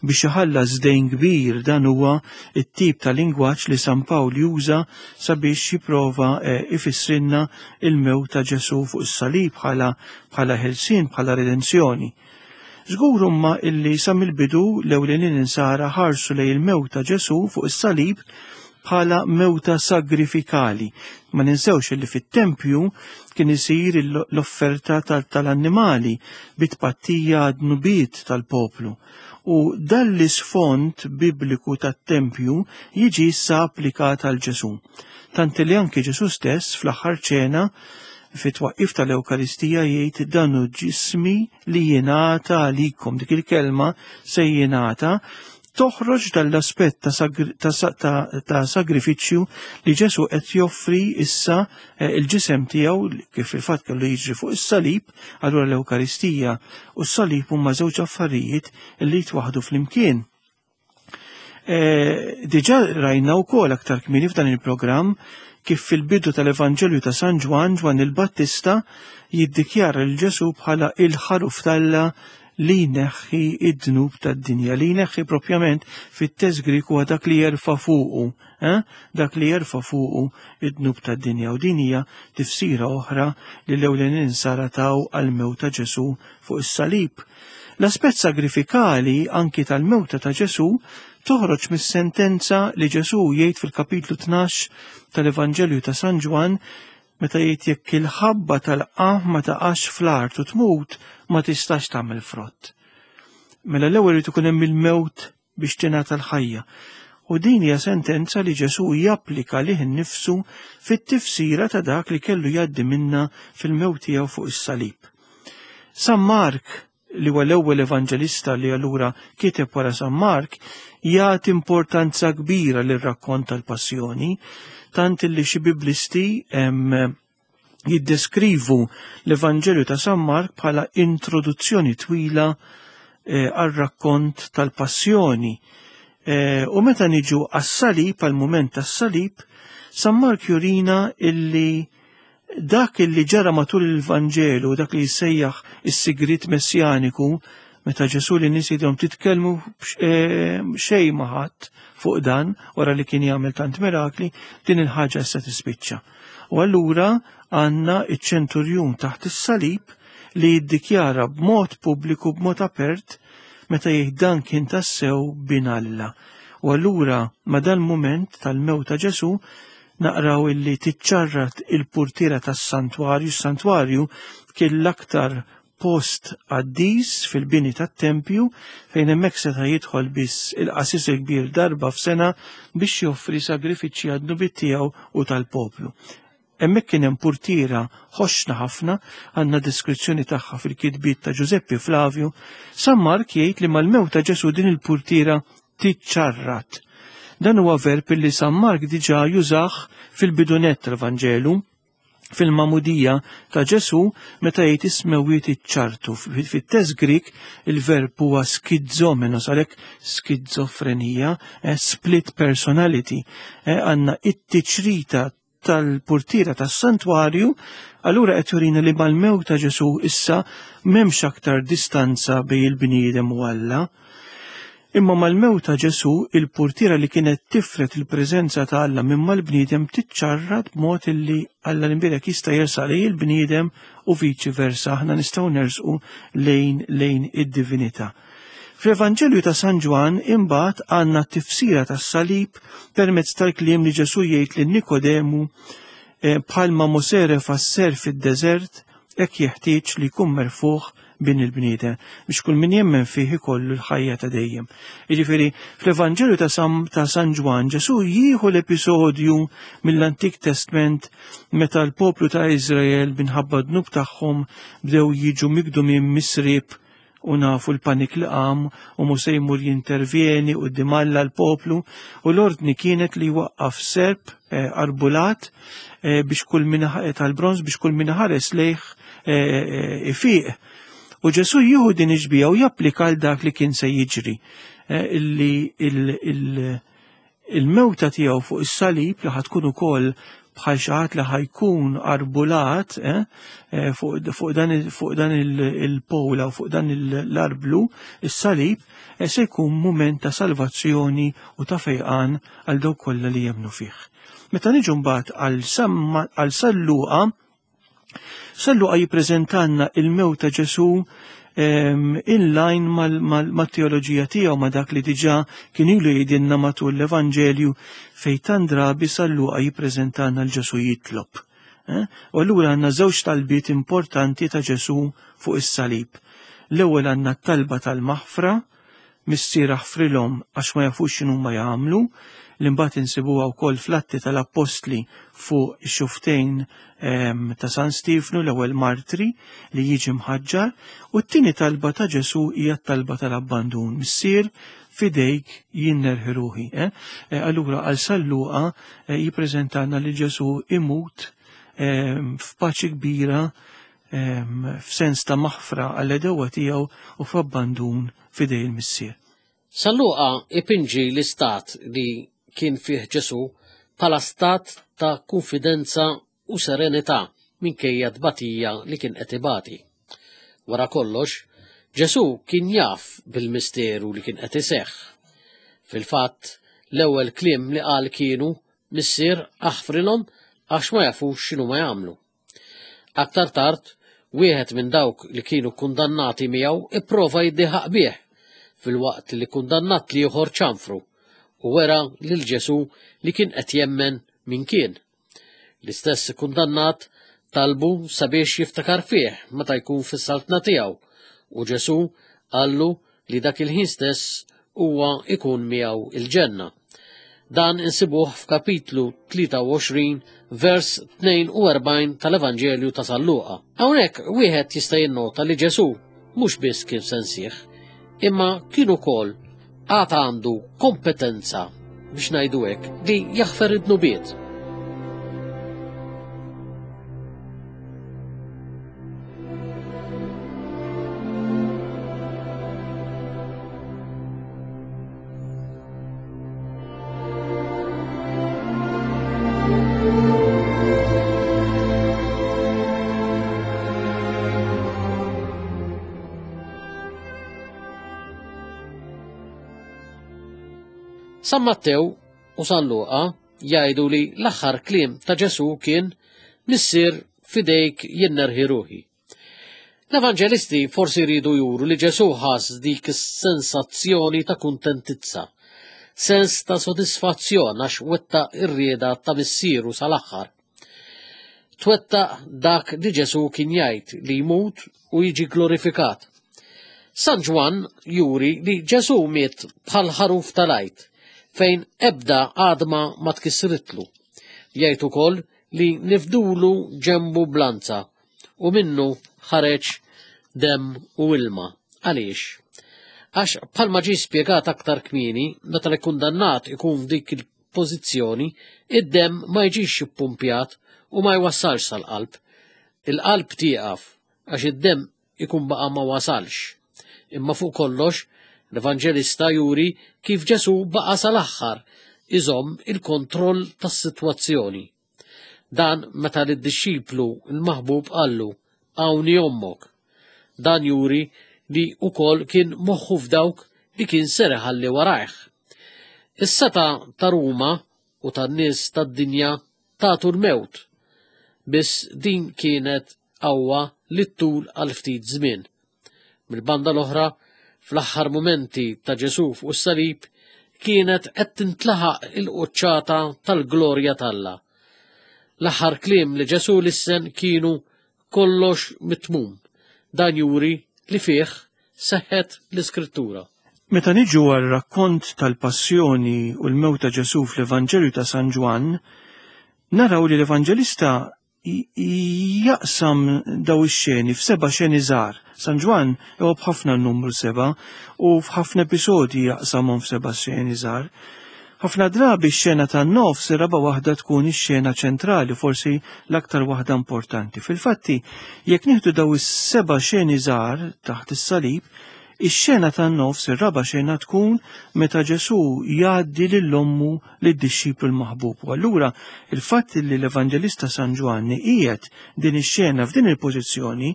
biex iħallas dejn kbir dan huwa t-tip ta' lingwaġġ li San Pawl juża sabiex jipprova eh, ifissrilna il-mewt ta' Ġesù fuq is-salib bħala bħala ħelsien bħala redenzjoni. Żgur imma illi sa mill-bidu l-ewlenin insara ħarsu lejn il-mewt ta' Ġesù fuq is-salib bħala mewta sagrifikali. Ma ninsewx illi fit-tempju kien isir l-offerta tal-annimali bit-tpattija għad-dnubiet tal-poplu. U dan l-isfond bibliku tat-tempju jiġi issa applikat għal Ġesù. Tant li anki Ġesù stess fl-aħħar ċena fit-twaqqif tal-Ewkaristija jgħid dan hu ġismi li jingħata għalikom. Dik il-kelma se jingħata toħroġ dal-aspett ta', ta, ta sagrifiċċju li Ġesu qed joffri issa eh, il-ġisem tiegħu kif il-fatt kellu jiġri fuq is-salib, allura l-Ewkaristija u s-salib huma żewġ affarijiet li jitwaħdu flimkien. Eh, diġà rajna wkoll aktar kmieni f'dan il-programm kif fil-bidu tal-Evanġelju ta' San Ġwann, Ġwann il-Battista jiddikjara lil Ġesù bħala il-ħaruf t'Alla li jneħħi id-dnub tad-dinja, li jneħħi propjament fit-test Grieg huwa dak li jerfa' fuqu, eh? dak li jerfa' fuqu id-dnub tad-dinja. U din hija tifsira oħra li l-ewlenin sara taw għall-mewt ta' Ġesù fuq is-salib. L-aspett sagrifikali anki tal-mewta ta' Ġesù toħroġ mis-sentenza li Ġesù jgħid fil-kapitlu 12 tal-Evanġelju ta' San Ġwann meta jgħid jekk il-ħabba tal-qamħ ma taqax fl-art u tmut ma tistax tagħmel frott. Mela l-ewwel irid ikun hemm il-mewt biex tingħata l-ħajja. U din hija sentenza li Ġesù japplika lih innifsu fit-tifsira ta' dak li kellu jgħaddi minna fil-mewt tiegħu fuq is-salib. San Mark, li huwa l-ewwel evanġelista li allura kiteb wara San Mark, jagħti importanza kbira lir-rakkont tal-passjoni, tant li xi biblisti jiddeskrivu l-Evanġelju ta' San Mark bħala introduzzjoni twila eh, għal rakkont tal-passjoni. Eh, u meta niġu għas-salib, għal-mument tas-salib, San Mark jurina illi dak illi ġara matul il-Vanġelu, dak li jissejjaħ is-sigrit messjaniku, meta Ġesu li nies jidhom titkellmu eh, xejn ma ħadd fuq dan wara li kien jagħmel tant mirakli, din il-ħaġa issa tispiċċa. U allura għandna iċ-ċenturjun taħt is-salib li jiddikjara b'mod pubbliku b'mod apert meta jgħid dan kien tassew bin Alla. U allura ma dal-mument tal-mewt ta' Ġesu naqraw illi tiċċarrat il-purtiera tas-santwarju, s-santwarju kien l-aktar post qaddis fil-bini tat-tempju fejn hemmhekk seta' jidħol biss il-qasis il-kbir darba f'sena biex joffri sagrifiċċji għad-dnubiet tiegħu u tal-poplu. Hemmhekk kien hemm purtiera ħoxna ħafna, għandna deskrizzjoni tagħha fil-kitbiet ta' Ġużeppi Flavju. San Mark jgħid li mal-mewt ta' Ġesù din il-purtiera Tiċċarrat. Dan huwa verb li San Mark diġà jużah fil-bidunett tal-Vanġelu, fil-magħmudija ta' Ġesù meta jgħid is-smewwiet iċċartu. Fit-test Grik il-verb huwa skizomenos, għalhekk skizofrenija, eh, split personality. Eh, għandna it-tiċrita tal-purtiera tas-santwarju, allura qed jurina li mal-mewt ta' Ġesù issa m'hemmx aktar distanza bejn il-bniedem u Alla. Imma mal-mewt ta' Ġesù, il-purtiera li kienet tifred il-preżenza ta' Alla minn mal-bniedem tiċċarrat b'mod illi Alla l-imbierek jista' jersaq lejn il-bniedem u viċi versa aħna nistgħu nersqu lejn lejn id-divinità. Fl-Evanġelju ta' San Ġwann imbagħad għandna t-tifsira tas-salib permezz tal-kliem li Ġesù jgħid lil Nikodemu eh, bħalma Mosè refa' s-serp fid-deżert hekk jeħtieġ li jkun merfugħ bin il-bniedem biex kull min jemmen fih ikollu l-ħajja ta' dejjem. Jiġifieri fl-Evanġelju ta' San, ta' San Ġwann Ġesù jieħu l-episodju mill-Antik Testment meta l-poplu ta' Iżrael minħabba dnub tagħhom bdew jiġu migdumin misrib u nafu l-panik li qam u Mosè jmur jintervjeni quddiem Alla l-poplu u l-ordni kienet li jwaqqaf serp eh, arbulat eh, biex kull min eh, tal-bronż biex kull min ħares lejh ifiq. U Ġesù jieħu din iġbija u japplika għal dak li kien se jiġri illi il-mewta tiegħu fuq is-salib li ħatkun ukoll bħal xi ħadd li ħajkun arbulat eh, eh, fuq dan il-pola u fuq dan l-arblu, is-salib, eh, se jkun mument ta' salvazzjoni u ta' fejqan għal dawk kollha li jemmnu fih. Meta niġu mbagħad għal San Luqa, San Luqa jippreżentanna il-mewt ta' Ġesù in line mal-teoloġija tiegħu ma' dak li diġà kien ilu jgħidilna matul l-Evanġelju fejn tant drabi San Luqa jippreżentanna l Ġesù jitlob. Eh? U allura għandna żewġ talbiet importanti ta' Ġesù fuq is-salib. L-ewwel għandna t-talba tal-maħfra, Missier aħfrilhom għax ma jafux x'inhuma jagħmlu, li mbagħad insibuha wkoll fl-Atti tal-Appostli fuq ix-xuftejn ehm, ta' San Stiefnu l-ewwel martri li jiġi mħaġġar, u t-tieni talba ta' Ġesù hija t-talba tal-abbandun. Missier, fidejk jien nerħi ruħi. Eh? Eh, allura għal San Luqa eh, jippreżentana li Ġesù imut ehm, f'paċi kbira f'sens ta' maħfra għall-għedewwa tiegħu u f'abbandun f'idej il-Missier. San Luqa ipinġi l-istat li kien fih Ġesù bħala stat ta' kunfidenza u serenità minkejja t-tbatija li kien qed ibati. Wara kollox, Ġesù kien jaf bil-misteru li kien qed iseħħ. Fil-fatt, l-ewwel kliem li qal kienu, Missier, aħfrilhom għax ma jafux x'inhuma jagħmlu. Aktar tard, wieħed minn dawk li kienu kundannati miegħu ipprova jiddieħaq bih, filwaqt li kundannat l-ieħor ċanfru u wera lil Ġesù li kien qed jemmen min kien. L-istess kundannat talbu sabiex jiftakar fih meta jkun fis-saltna tiegħu u Ġesù qallu li dak il-ħin stess huwa ikun miegħu il-ġenna. Dan insibuh f'kapitlu 23 vers 42 tal-Evanġelju ta' San Luqa. Hawnhekk wieħed jista' jinnota li Ġesù mhux biss kien sensih, imma kien ukoll għad għandu kompetenza biex ngħidu hekk li jaħfer id-dnubiet. San Mattew u San Luqa jgħidu li l-aħħar kliem ta' Ġesù kien Missier fidejk jien nerħi ruħi. L-Evanġelisti forsi jridu juru li Ġesù ħass dik is-sensazzjoni ta' kuntentizza, sens ta' sodisfazzjon għax wettaq ir-rieda ta' Missieru sal-aħħar. Twettaq dak li Ġesù kien jgħid li jmut u jiġi glorifikat. San Ġwann juri li Ġesù miet bħal ħaruf tal-Għid, fejn ebda għadma ma tkissritlu. Jgħid ukoll li nifdulu ġenbu blanza u minnu ħareġ demm u ilma. Għaliex? Għax bħalma ġie spjegat aktar kmieni, meta l-ikkundannat ikun f'dik il-pożizzjoni, id-demm ma jiġix ippumpjat u ma jwassalx sal-qalb. Il-qalb tieqaf għax id-demm ikun baqa' ma wasalx. Imma fuq kollox, l-Evanġelista juri kif Ġesù baqa' sal-aħħar iżomm il-kontroll tas-sitwazzjoni. Dan meta lid-dixxiplu l-maħbub qallu, Hawn hi ommok. Dan juri li wkoll kien moħħu f'dawk li kien ser iħalli warajh. Is-setgħa ta' Ruma u tan-nies tad-dinja tagħtu l-mewt. Biss din kienet qawwa li ttul għal ftit żmien. Mill-banda l-oħra, fl-aħħar mumenti ta' Ġesù fuq is-salib, kienet qed tintlaħaq il-quċċata tal-glorja t'Alla. L-aħħar kliem li Ġesù lissen kienu kollox mitmum. Dan juri li fih seħħet l-Iskrittura. Meta niġu għal rakkont tal-passjoni u l-mewt ta' Ġesù fl-Evanġelju ta' San Ġwann, naraw li l-Evanġelista jaqsam daw ix-xeni f'seba' xeni żgħar. San Ġwann iħobb ħafna n-numru seba' u f'ħafna episodji jaqsamhom f'seba' xeni żgħar. Ħafna drabi x-xena tan-nofs ir-raba' waħda tkun ix-xena ċentrali, forsi l-aktar waħda importanti. Fil-fatti, jekk nieħdu daw is-seba' xeni żgħar taħt is-salib, Ix-xena tan-nofs, ir-raba' xena tkun meta Ġesù jgħaddi lil ommu lid-dixxiplu l-maħbub. U allura il-fatt li l-Evanġelista San Ġwanni qiegħed din ix-xena f'din il-pożizzjoni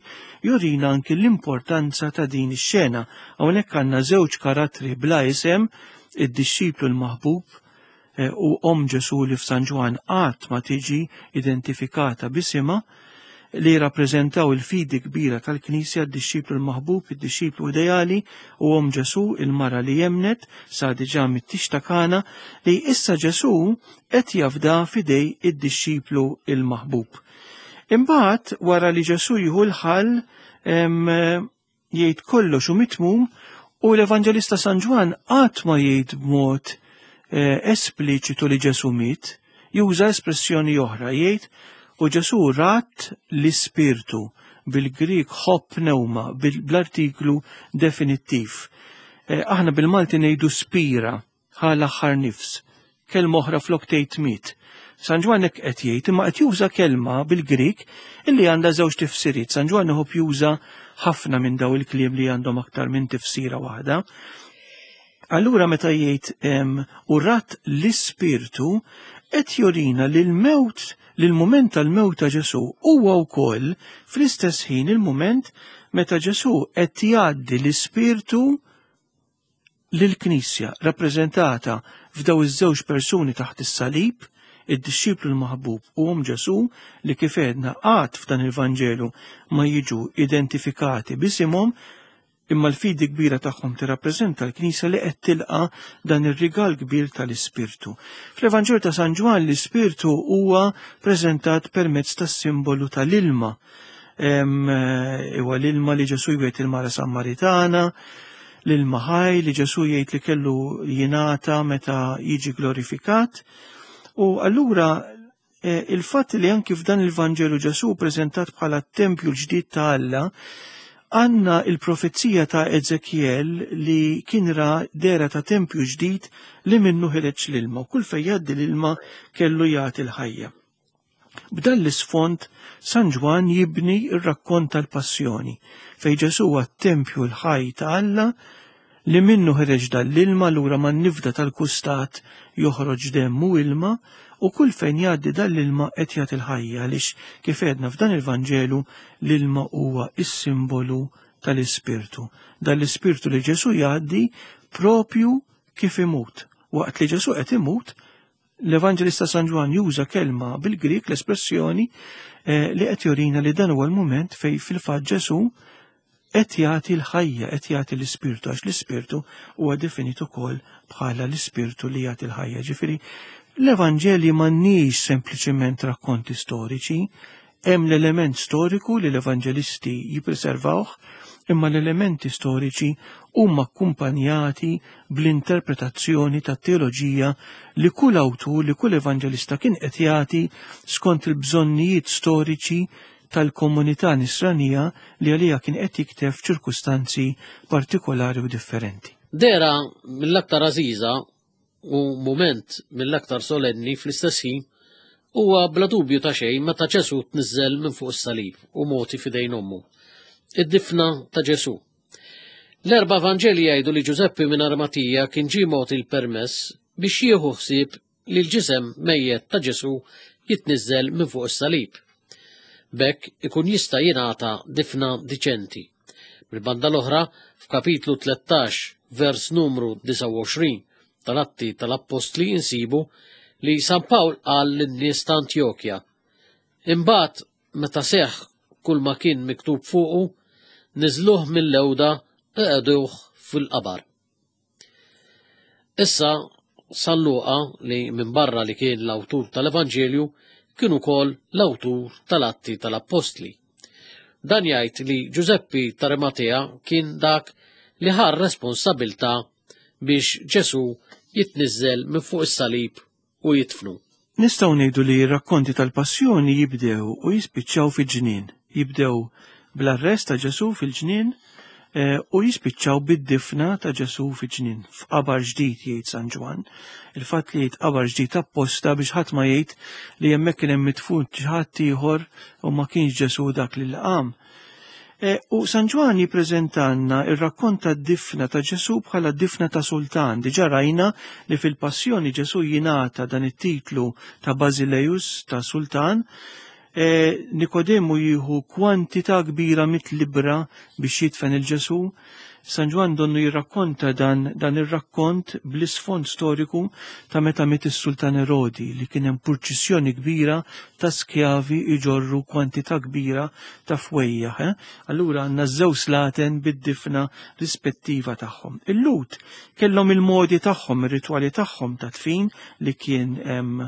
jurina anki l-importanza ta' din ix-xena. Hawnhekk għandna żewġ karattri bla isem, id-dixxiplu l-maħbub eh, u omm Ġesù li f'San Ġwann qatt ma tiġi identifikata b'isimha, li jirrappreżentaw il-fidi kbira tal-Knisja, d-dixxiplu l-maħbub, id-dixxiplu ideali u omm Ġesù, il-mara li emmnet sa diġà mit-tix ta' Kana, li issa Ġesù qed jafda f'idej id-dixxiplu l-maħbub. Imbagħad wara li Ġesù jieħu l-ħall jgħid kollox hu mitmum u l-Evanġelista San Ġwann qatt ma jgħid b'mod eh, espliċitu li Ġesu miet, juża espressjoni oħra jgħid u Ġesu rat l-ispirtu bil-Grik ħobb pneuma bl-artiklu definittiv. Eh, aħna bil-Malti ngħidu spira ħa l-aħħar nifs. Kelma oħra flok tgħid miet. San Ġwann hekk qed jgħid, imma qed juża kelma bil-Grieg illi għandha żewġ tifsiriet. San Ġwann iħobb juża ħafna minn daw il-kliem li għandhom aktar minn tifsira waħda. Allura meta jgħid u rat l-ispirtu qed jurina li l-mewt li l-mument tal-mewt ta' Ġesù huwa wkoll fl-istess ħin il-mument meta Ġesù qed jgħaddi l-ispirtu lill-Knisja rappreżentata f'daw iż-żewġ persuni taħt is-salib, id-dixxiplu l-maħbub u omm Ġesù li kif għedna qatt f'dan il-Vanġelu ma jiġu identifikati b'isimhom, imma l-fidi kbira tagħhom tirrappreżenta l-Knisja li qed tilqa' dan ir-rigal kbir tal-Ispirtu. Fl-Evanġelju ta' San Ġwann l-Ispirtu huwa preżentat permezz tas-simbolu tal-ilma. Eh, huwa l-ilma li Ġesù jwiegħed il-mara Sammaritana, l-ilma ħaj li Ġesù jgħid li kellu jingħata meta jiġi glorifikat. U allura eh, il-fatt li anki f'dan il-Vanġelu Ġesù preżentat bħala t-tempju l-ġdid ta' Alla, għanna il-profezija ta' Ezekiel li kien ra dera ta' tempju ġdid li minnu ħireġ l-ilma u kull fejn jgħaddi l-ilma kellu jagħti l-ħajja. B'dan l-isfond, San Ġwann jibni r-rakkont tal-Passjoni, fejn Ġesù huwa t-tempju l-ħaj ta' Alla li minnu ħereġ dan l-ilma lura man-nifda tal-kustat joħroġ demm u ilma u kull fejn jgħaddi dan l-ilma qed jagħti l-ħajja għaliex kif għedna f'dan il-Vanġelu l-ilma huwa s-simbolu tal-Ispirtu. Dan l-Ispirtu li Ġesù jgħaddi propju kif imut. Waqt li Ġesù qed imut, L-Evanġelista San Ġwann juża kelma bil-Grieg l-espressjoni eh, li qed jurina li dan huwa l-mument fej fil-fatt Ġesù qed jagħti l-ħajja, qed jagħti l-ispirtu għax l-ispirtu huwa definit ukoll bħala l-ispirtu li jagħti l-ħajja. Ġifieri l-Evanġelji m'għandniex sempliċement rakkonti storiċi, Hemm l-element storiku li l-Evanġelisti jippreservawh, imma l-elementi storiċi huma akkumpanjati bl-interpretazzjoni tat-teoloġija li kull awtur, li kull evanġelista kien qed jagħti skont il-bżonnijiet storiċi tal-komunità nisranija li għaliha kien qed jikteb f'ċirkustanzi partikolari u differenti. Dehra mill-aktar għażiża u mument mill-aktar solenni fl-istess ħin huwa bla dubju ta' xejn meta Ġesù tniżżel minn fuq is-salib u mogħti f'idejn ommu. Id-difna ta' Ġesù. L-erba' Vanġeli jgħidu li Ġużeppi minn Armatija kien ġie mogħti l-permess biex jieħu ħsieb li l-ġisem mejjet ta' Ġesù jitniżżel minn fuq is-salib. B'hekk ikun jista' jingħata difna diċenti. Mill-banda l-oħra, f'kapitlu 13, vers numru 29 tal-Atti tal-Appostli insibu li San Pawl qal lin-nies ta' Antjokja, Imbagħad meta seħħ kull ma kien miktub fuqu, niżluh mill-lewda u qegħduh fil-qabar. Issa, San Luqa, li minbarra li kien l-awtur tal-Evanġelju, kien ukoll l-awtur tal-Atti tal-Appostli. Dan jgħid li Ġużeppi t'Arimatea kien dak li ħa r-responsabilità biex Ġesù jitniżżel minn fuq is-salib u jidfnu. Nistgħu ngħidu li r-rakkonti tal-Passjoni jibdew u jispiċċaw fi ġnien. Jibdew bl-arrest ta' Ġesù fil-ġnien eh, u jispiċċaw bid-difna ta' Ġesù fi ġnien, f'qabar ġdid jgħid San Ġwann. Il-fatt li jgħid qabar ġdid apposta biex ħadd ma jgħid li hemmhekk kien hemm midfun xi ħadd ieħor u ma kienx Ġesù dak li qam. E, u San Ġwann jippreżentanna ir-rakkont tad-difna ta' Ġesù bħala difna ta' sultan. Diġà rajna li fil-Passjoni Ġesù jingħata dan it-titlu ta' Basileus ta' sultan. E, Nikodemu jieħu kwantità kbira mit-libra biex jidfen il-Ġesù. San Ġwann donnu jirrakkonta dan, dan ir-rakkont bl-isfond storiku ta' meta miet is-Sultan Erodi li kien hemm purċissjoni kbira ta' skjavi iġorru kwantità kbira ta' fwejjaħ. Eh? Allura għandna żewġ slaten bid-difna rispettiva tagħhom. Il-Lut kellhom il-modi tagħhom, ir-ritwali tagħhom ta' tfin li kien hemm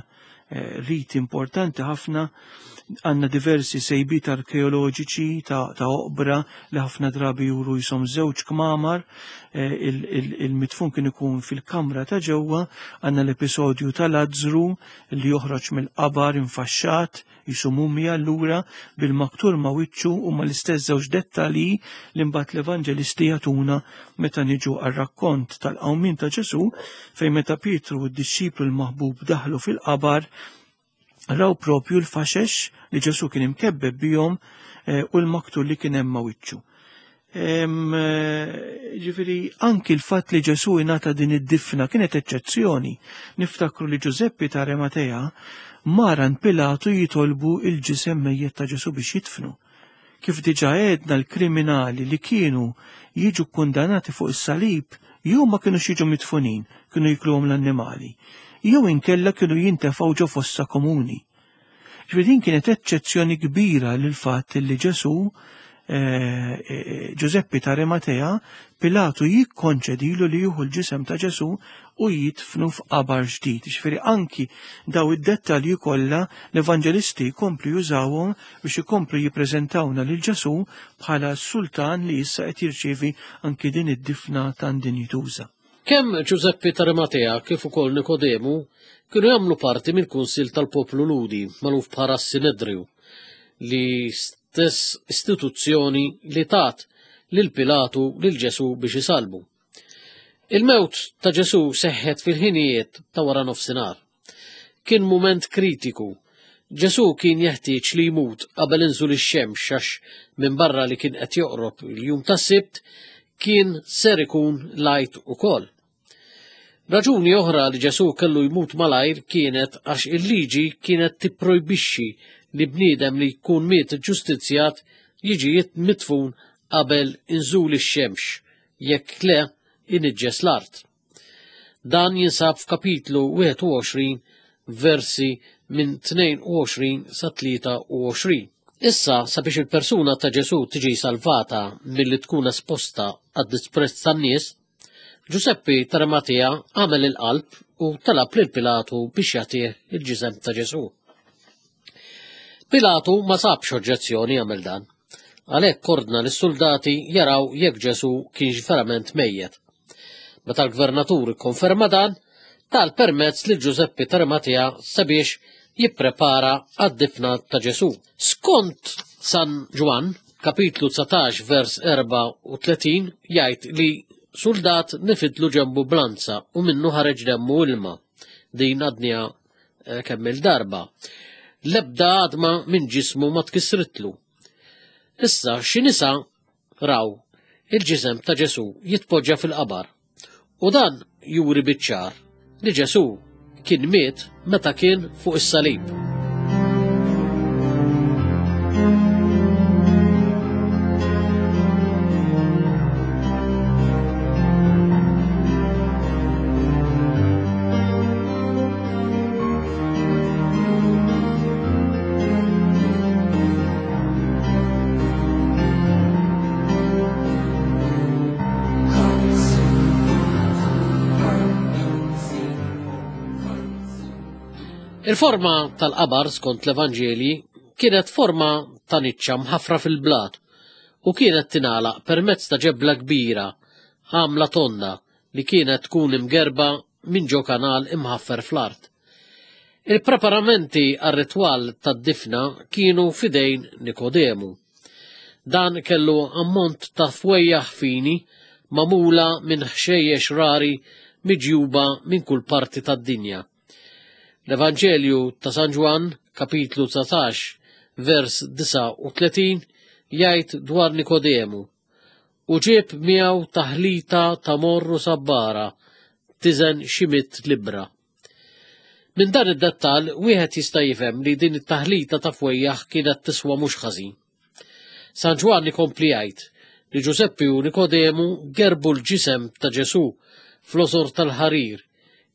Eh, rit importanti ħafna għanna diversi sejbiet arkeoloġiċi ta', ta oqbra li ħafna drabi juru jisom żewġ kmamar, eh, il-mitfun kien ikun fil-kamra ta' ġewwa, għanna l-episodju ta' Lazzru li joħroġ mill-qabar infaxxat, jisu mumja allura bil-maktur ma' wiċċu u ma' l-istess żewġ dettalji li mbagħad l-evanġelisti jagħtuna meta niġu għar-rakkont tal-qawmien ta' Ġesù fejn meta Pietru u d-dixxiplu l-maħbub daħlu fil-qabar raw propju l-faxex li Ġesù kien imkebbeb bihom eh, u l-maktur li kien hemm ma' wiċċu. Eh, ġifiri, anki l-fatt li Ġesù ingħata din id-difna kienet eċċezzjoni. Niftakru li Ġużeppi ta' Rematea maran Pilatu jitolbu il-ġisem mejjet ta' Ġesù biex jidfnu. Kif diġà għedna l-kriminali li kienu jiġu kkundanati fuq is-salib jew ma kinux jiġu midfunin, kienu jikluhom l-annimali, jew inkella kienu jintefgħu ġo fossa komuni. Ġifieri din kienet eċċezzjoni kbira lil fatt li Ġesù eh, eh, Ġużeppi ta' Arimatea Pilatu jikkonċedilu li jieħu l-ġisem ta' Ġesù u jidfnu f'qabar ġdid. Ġifieri anki daw id-dettalji kollha l-evanġelisti jkomplu jużawhom biex ikomplu jippreżentawna lil Ġesù bħala s-sultan li issa qed jirċievi anki din id-difna tan dinjituża. Kemm Ġużeppi t'Arimatea kif ukoll Nikodemu kienu jagħmlu parti mill-kunsill tal-poplu Lhudi magħruf bħala s-Sinedriju, li stess istituzzjoni li tat lil Pilatu lil Ġesù biex isallbu. Il-mewt ta' Ġesù seħħet fil-ħinijiet ta' wara nofsinhar. Kien mument kritiku. Ġesù kien jeħtieġ li jmut qabel inżul ix-xemx għax minbarra li kien qed joqrob il-jum tas-Sibt, kien ser ikun l-Għid ukoll. Raġuni oħra li Ġesù kellu jmut malajr kienet għax il-liġi kienet tipprojbixxi li bniedem li jkun miet ġustizzjat jiġi midfun qabel inżul ix-xemx, jekk le iniġġes l-art. Dan jinsab f'kapitlu 21 versi minn 22 sa 23. Issa, sabiex il-persuna ta' Ġesù tiġi salvata milli tkun esposta għad-disprezz tan-nies, Ġuseppi t'Arimatea għamel il-qalb u talab lil Pilatu biex jagħtih il-ġisem ta' Ġesù. Pilatu ma sabx oġġezzjoni jagħmel dan. Għalhekk ordna lis-suldati jaraw jekk Ġesù kienx verament mejjet. Meta l-gvernatur ikkonferma dan, ta l-permezz lil Ġużeppi t'Arimatea sabiex jipprepara għad-difna ta' Ġesù. Skont San Ġwann, kapitlu 19 vers 34 jgħid li suldat nifidlu ġembu blanza u minnu ħareġ demmu ilma. Din għadnija eh, kemm il-darba. L-ebda għadma minn ġismu ma tkissritlu. Issa xi nisa raw il-ġisem ta' Ġesù jitpoġġa fil-qabar. U dan juri biċ-ċar li Ġesù kien miet meta kien fuq is-salib. Il-forma tal-qabar skont l-Evanġelji kienet forma ta' niċċa mħaffra fil-blat u kienet tingħalaq permezz ta' ġebla kbira għamla tonda li kienet tkun imgerba minn ġo kanal imħaffer fl-art. Il-preparamenti għar-ritwal tad-difna kienu f'idejn Nikodemu. Dan kellu ammont ta' fwejjaħ fini magħmula minn ħxejjex rari miġjuba minn kull parti tad-dinja. L-Evanġelju ta' San Ġwann, kapitlu 19, vers 39, jgħid dwar Nikodemu, U ġieb miegħu taħlita ta' morr u sabbara tiżen xi mitt libbra. Minn dan id-dettall wieħed jista' jifhem li din it-taħlita ta' fwejjaħ kienet tiswa mhux ħażin. San Ġwann ikompli jgħid li Ġużeppi u Nikodemu gerbu l-ġisem ta' Ġesù fl-osor tal-ħarir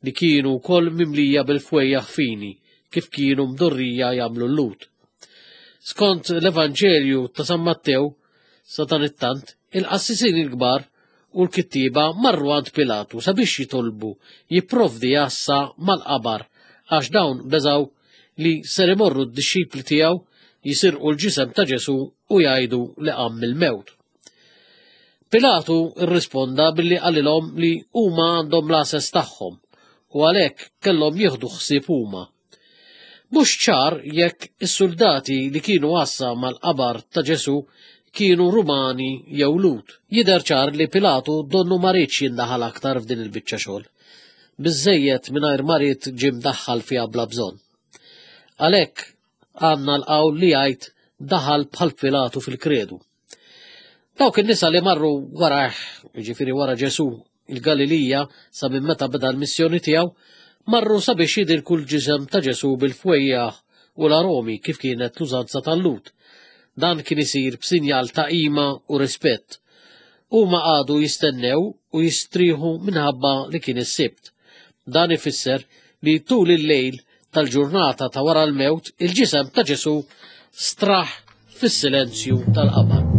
li kienu wkoll mimlija bil-fwejjaħ fini kif kienu mdorrija jagħmlu l-Lhud. Skont l-Evanġelju ta' San Mattew, Sadanittant, il-qassisin il-kbar u l-kittieba marru għand Pilatu sabiex jitolbu jipprovdi għassa mal-qabar għax dawn beżgħu li ser imorru d-dixxipli tiegħu jisirqu l-ġisem ta' Ġesù u jgħidu li qam mill-mewt. Pilatu rrisponda billi qalilhom li huma għandhom l-għases tagħhom u għalhekk kellhom jieħdu ħsieb huma. Mhux ċar jekk is-suldati li kienu għassa mal-qabar ta' Ġesù kienu Rumani jew Lhud. Jidher ċar li Pilatu donnu ma riedx jindaħal aktar f'din il-biċċa xogħol. Biżżejjed mingħajr ma ried ġie mdaħħal fiha bla bżonn. Għalhekk għandna l-qawl li jgħid daħal bħal Pilatu fil-kredu. Dawk in-nisa li marru warajh, jiġifieri wara Ġesù, il-Galilija sa minn meta beda l-missjoni tiegħu, marru sabiex jidilku l-ġisem ta' Ġesù bil-fwejjaħ u l-aromi kif kienet l-użanza tal-Lhud. Dan kien isir b'sinjal ta' qima u rispett. Huma qagħdu jistennew u jistrieħu minħabba li kien is-Sibt. Dan ifisser li tul il-lejl tal-ġurnata ta' wara l-mewt, il-ġisem ta' Ġesù straħ fis-silenzju tal-qabar.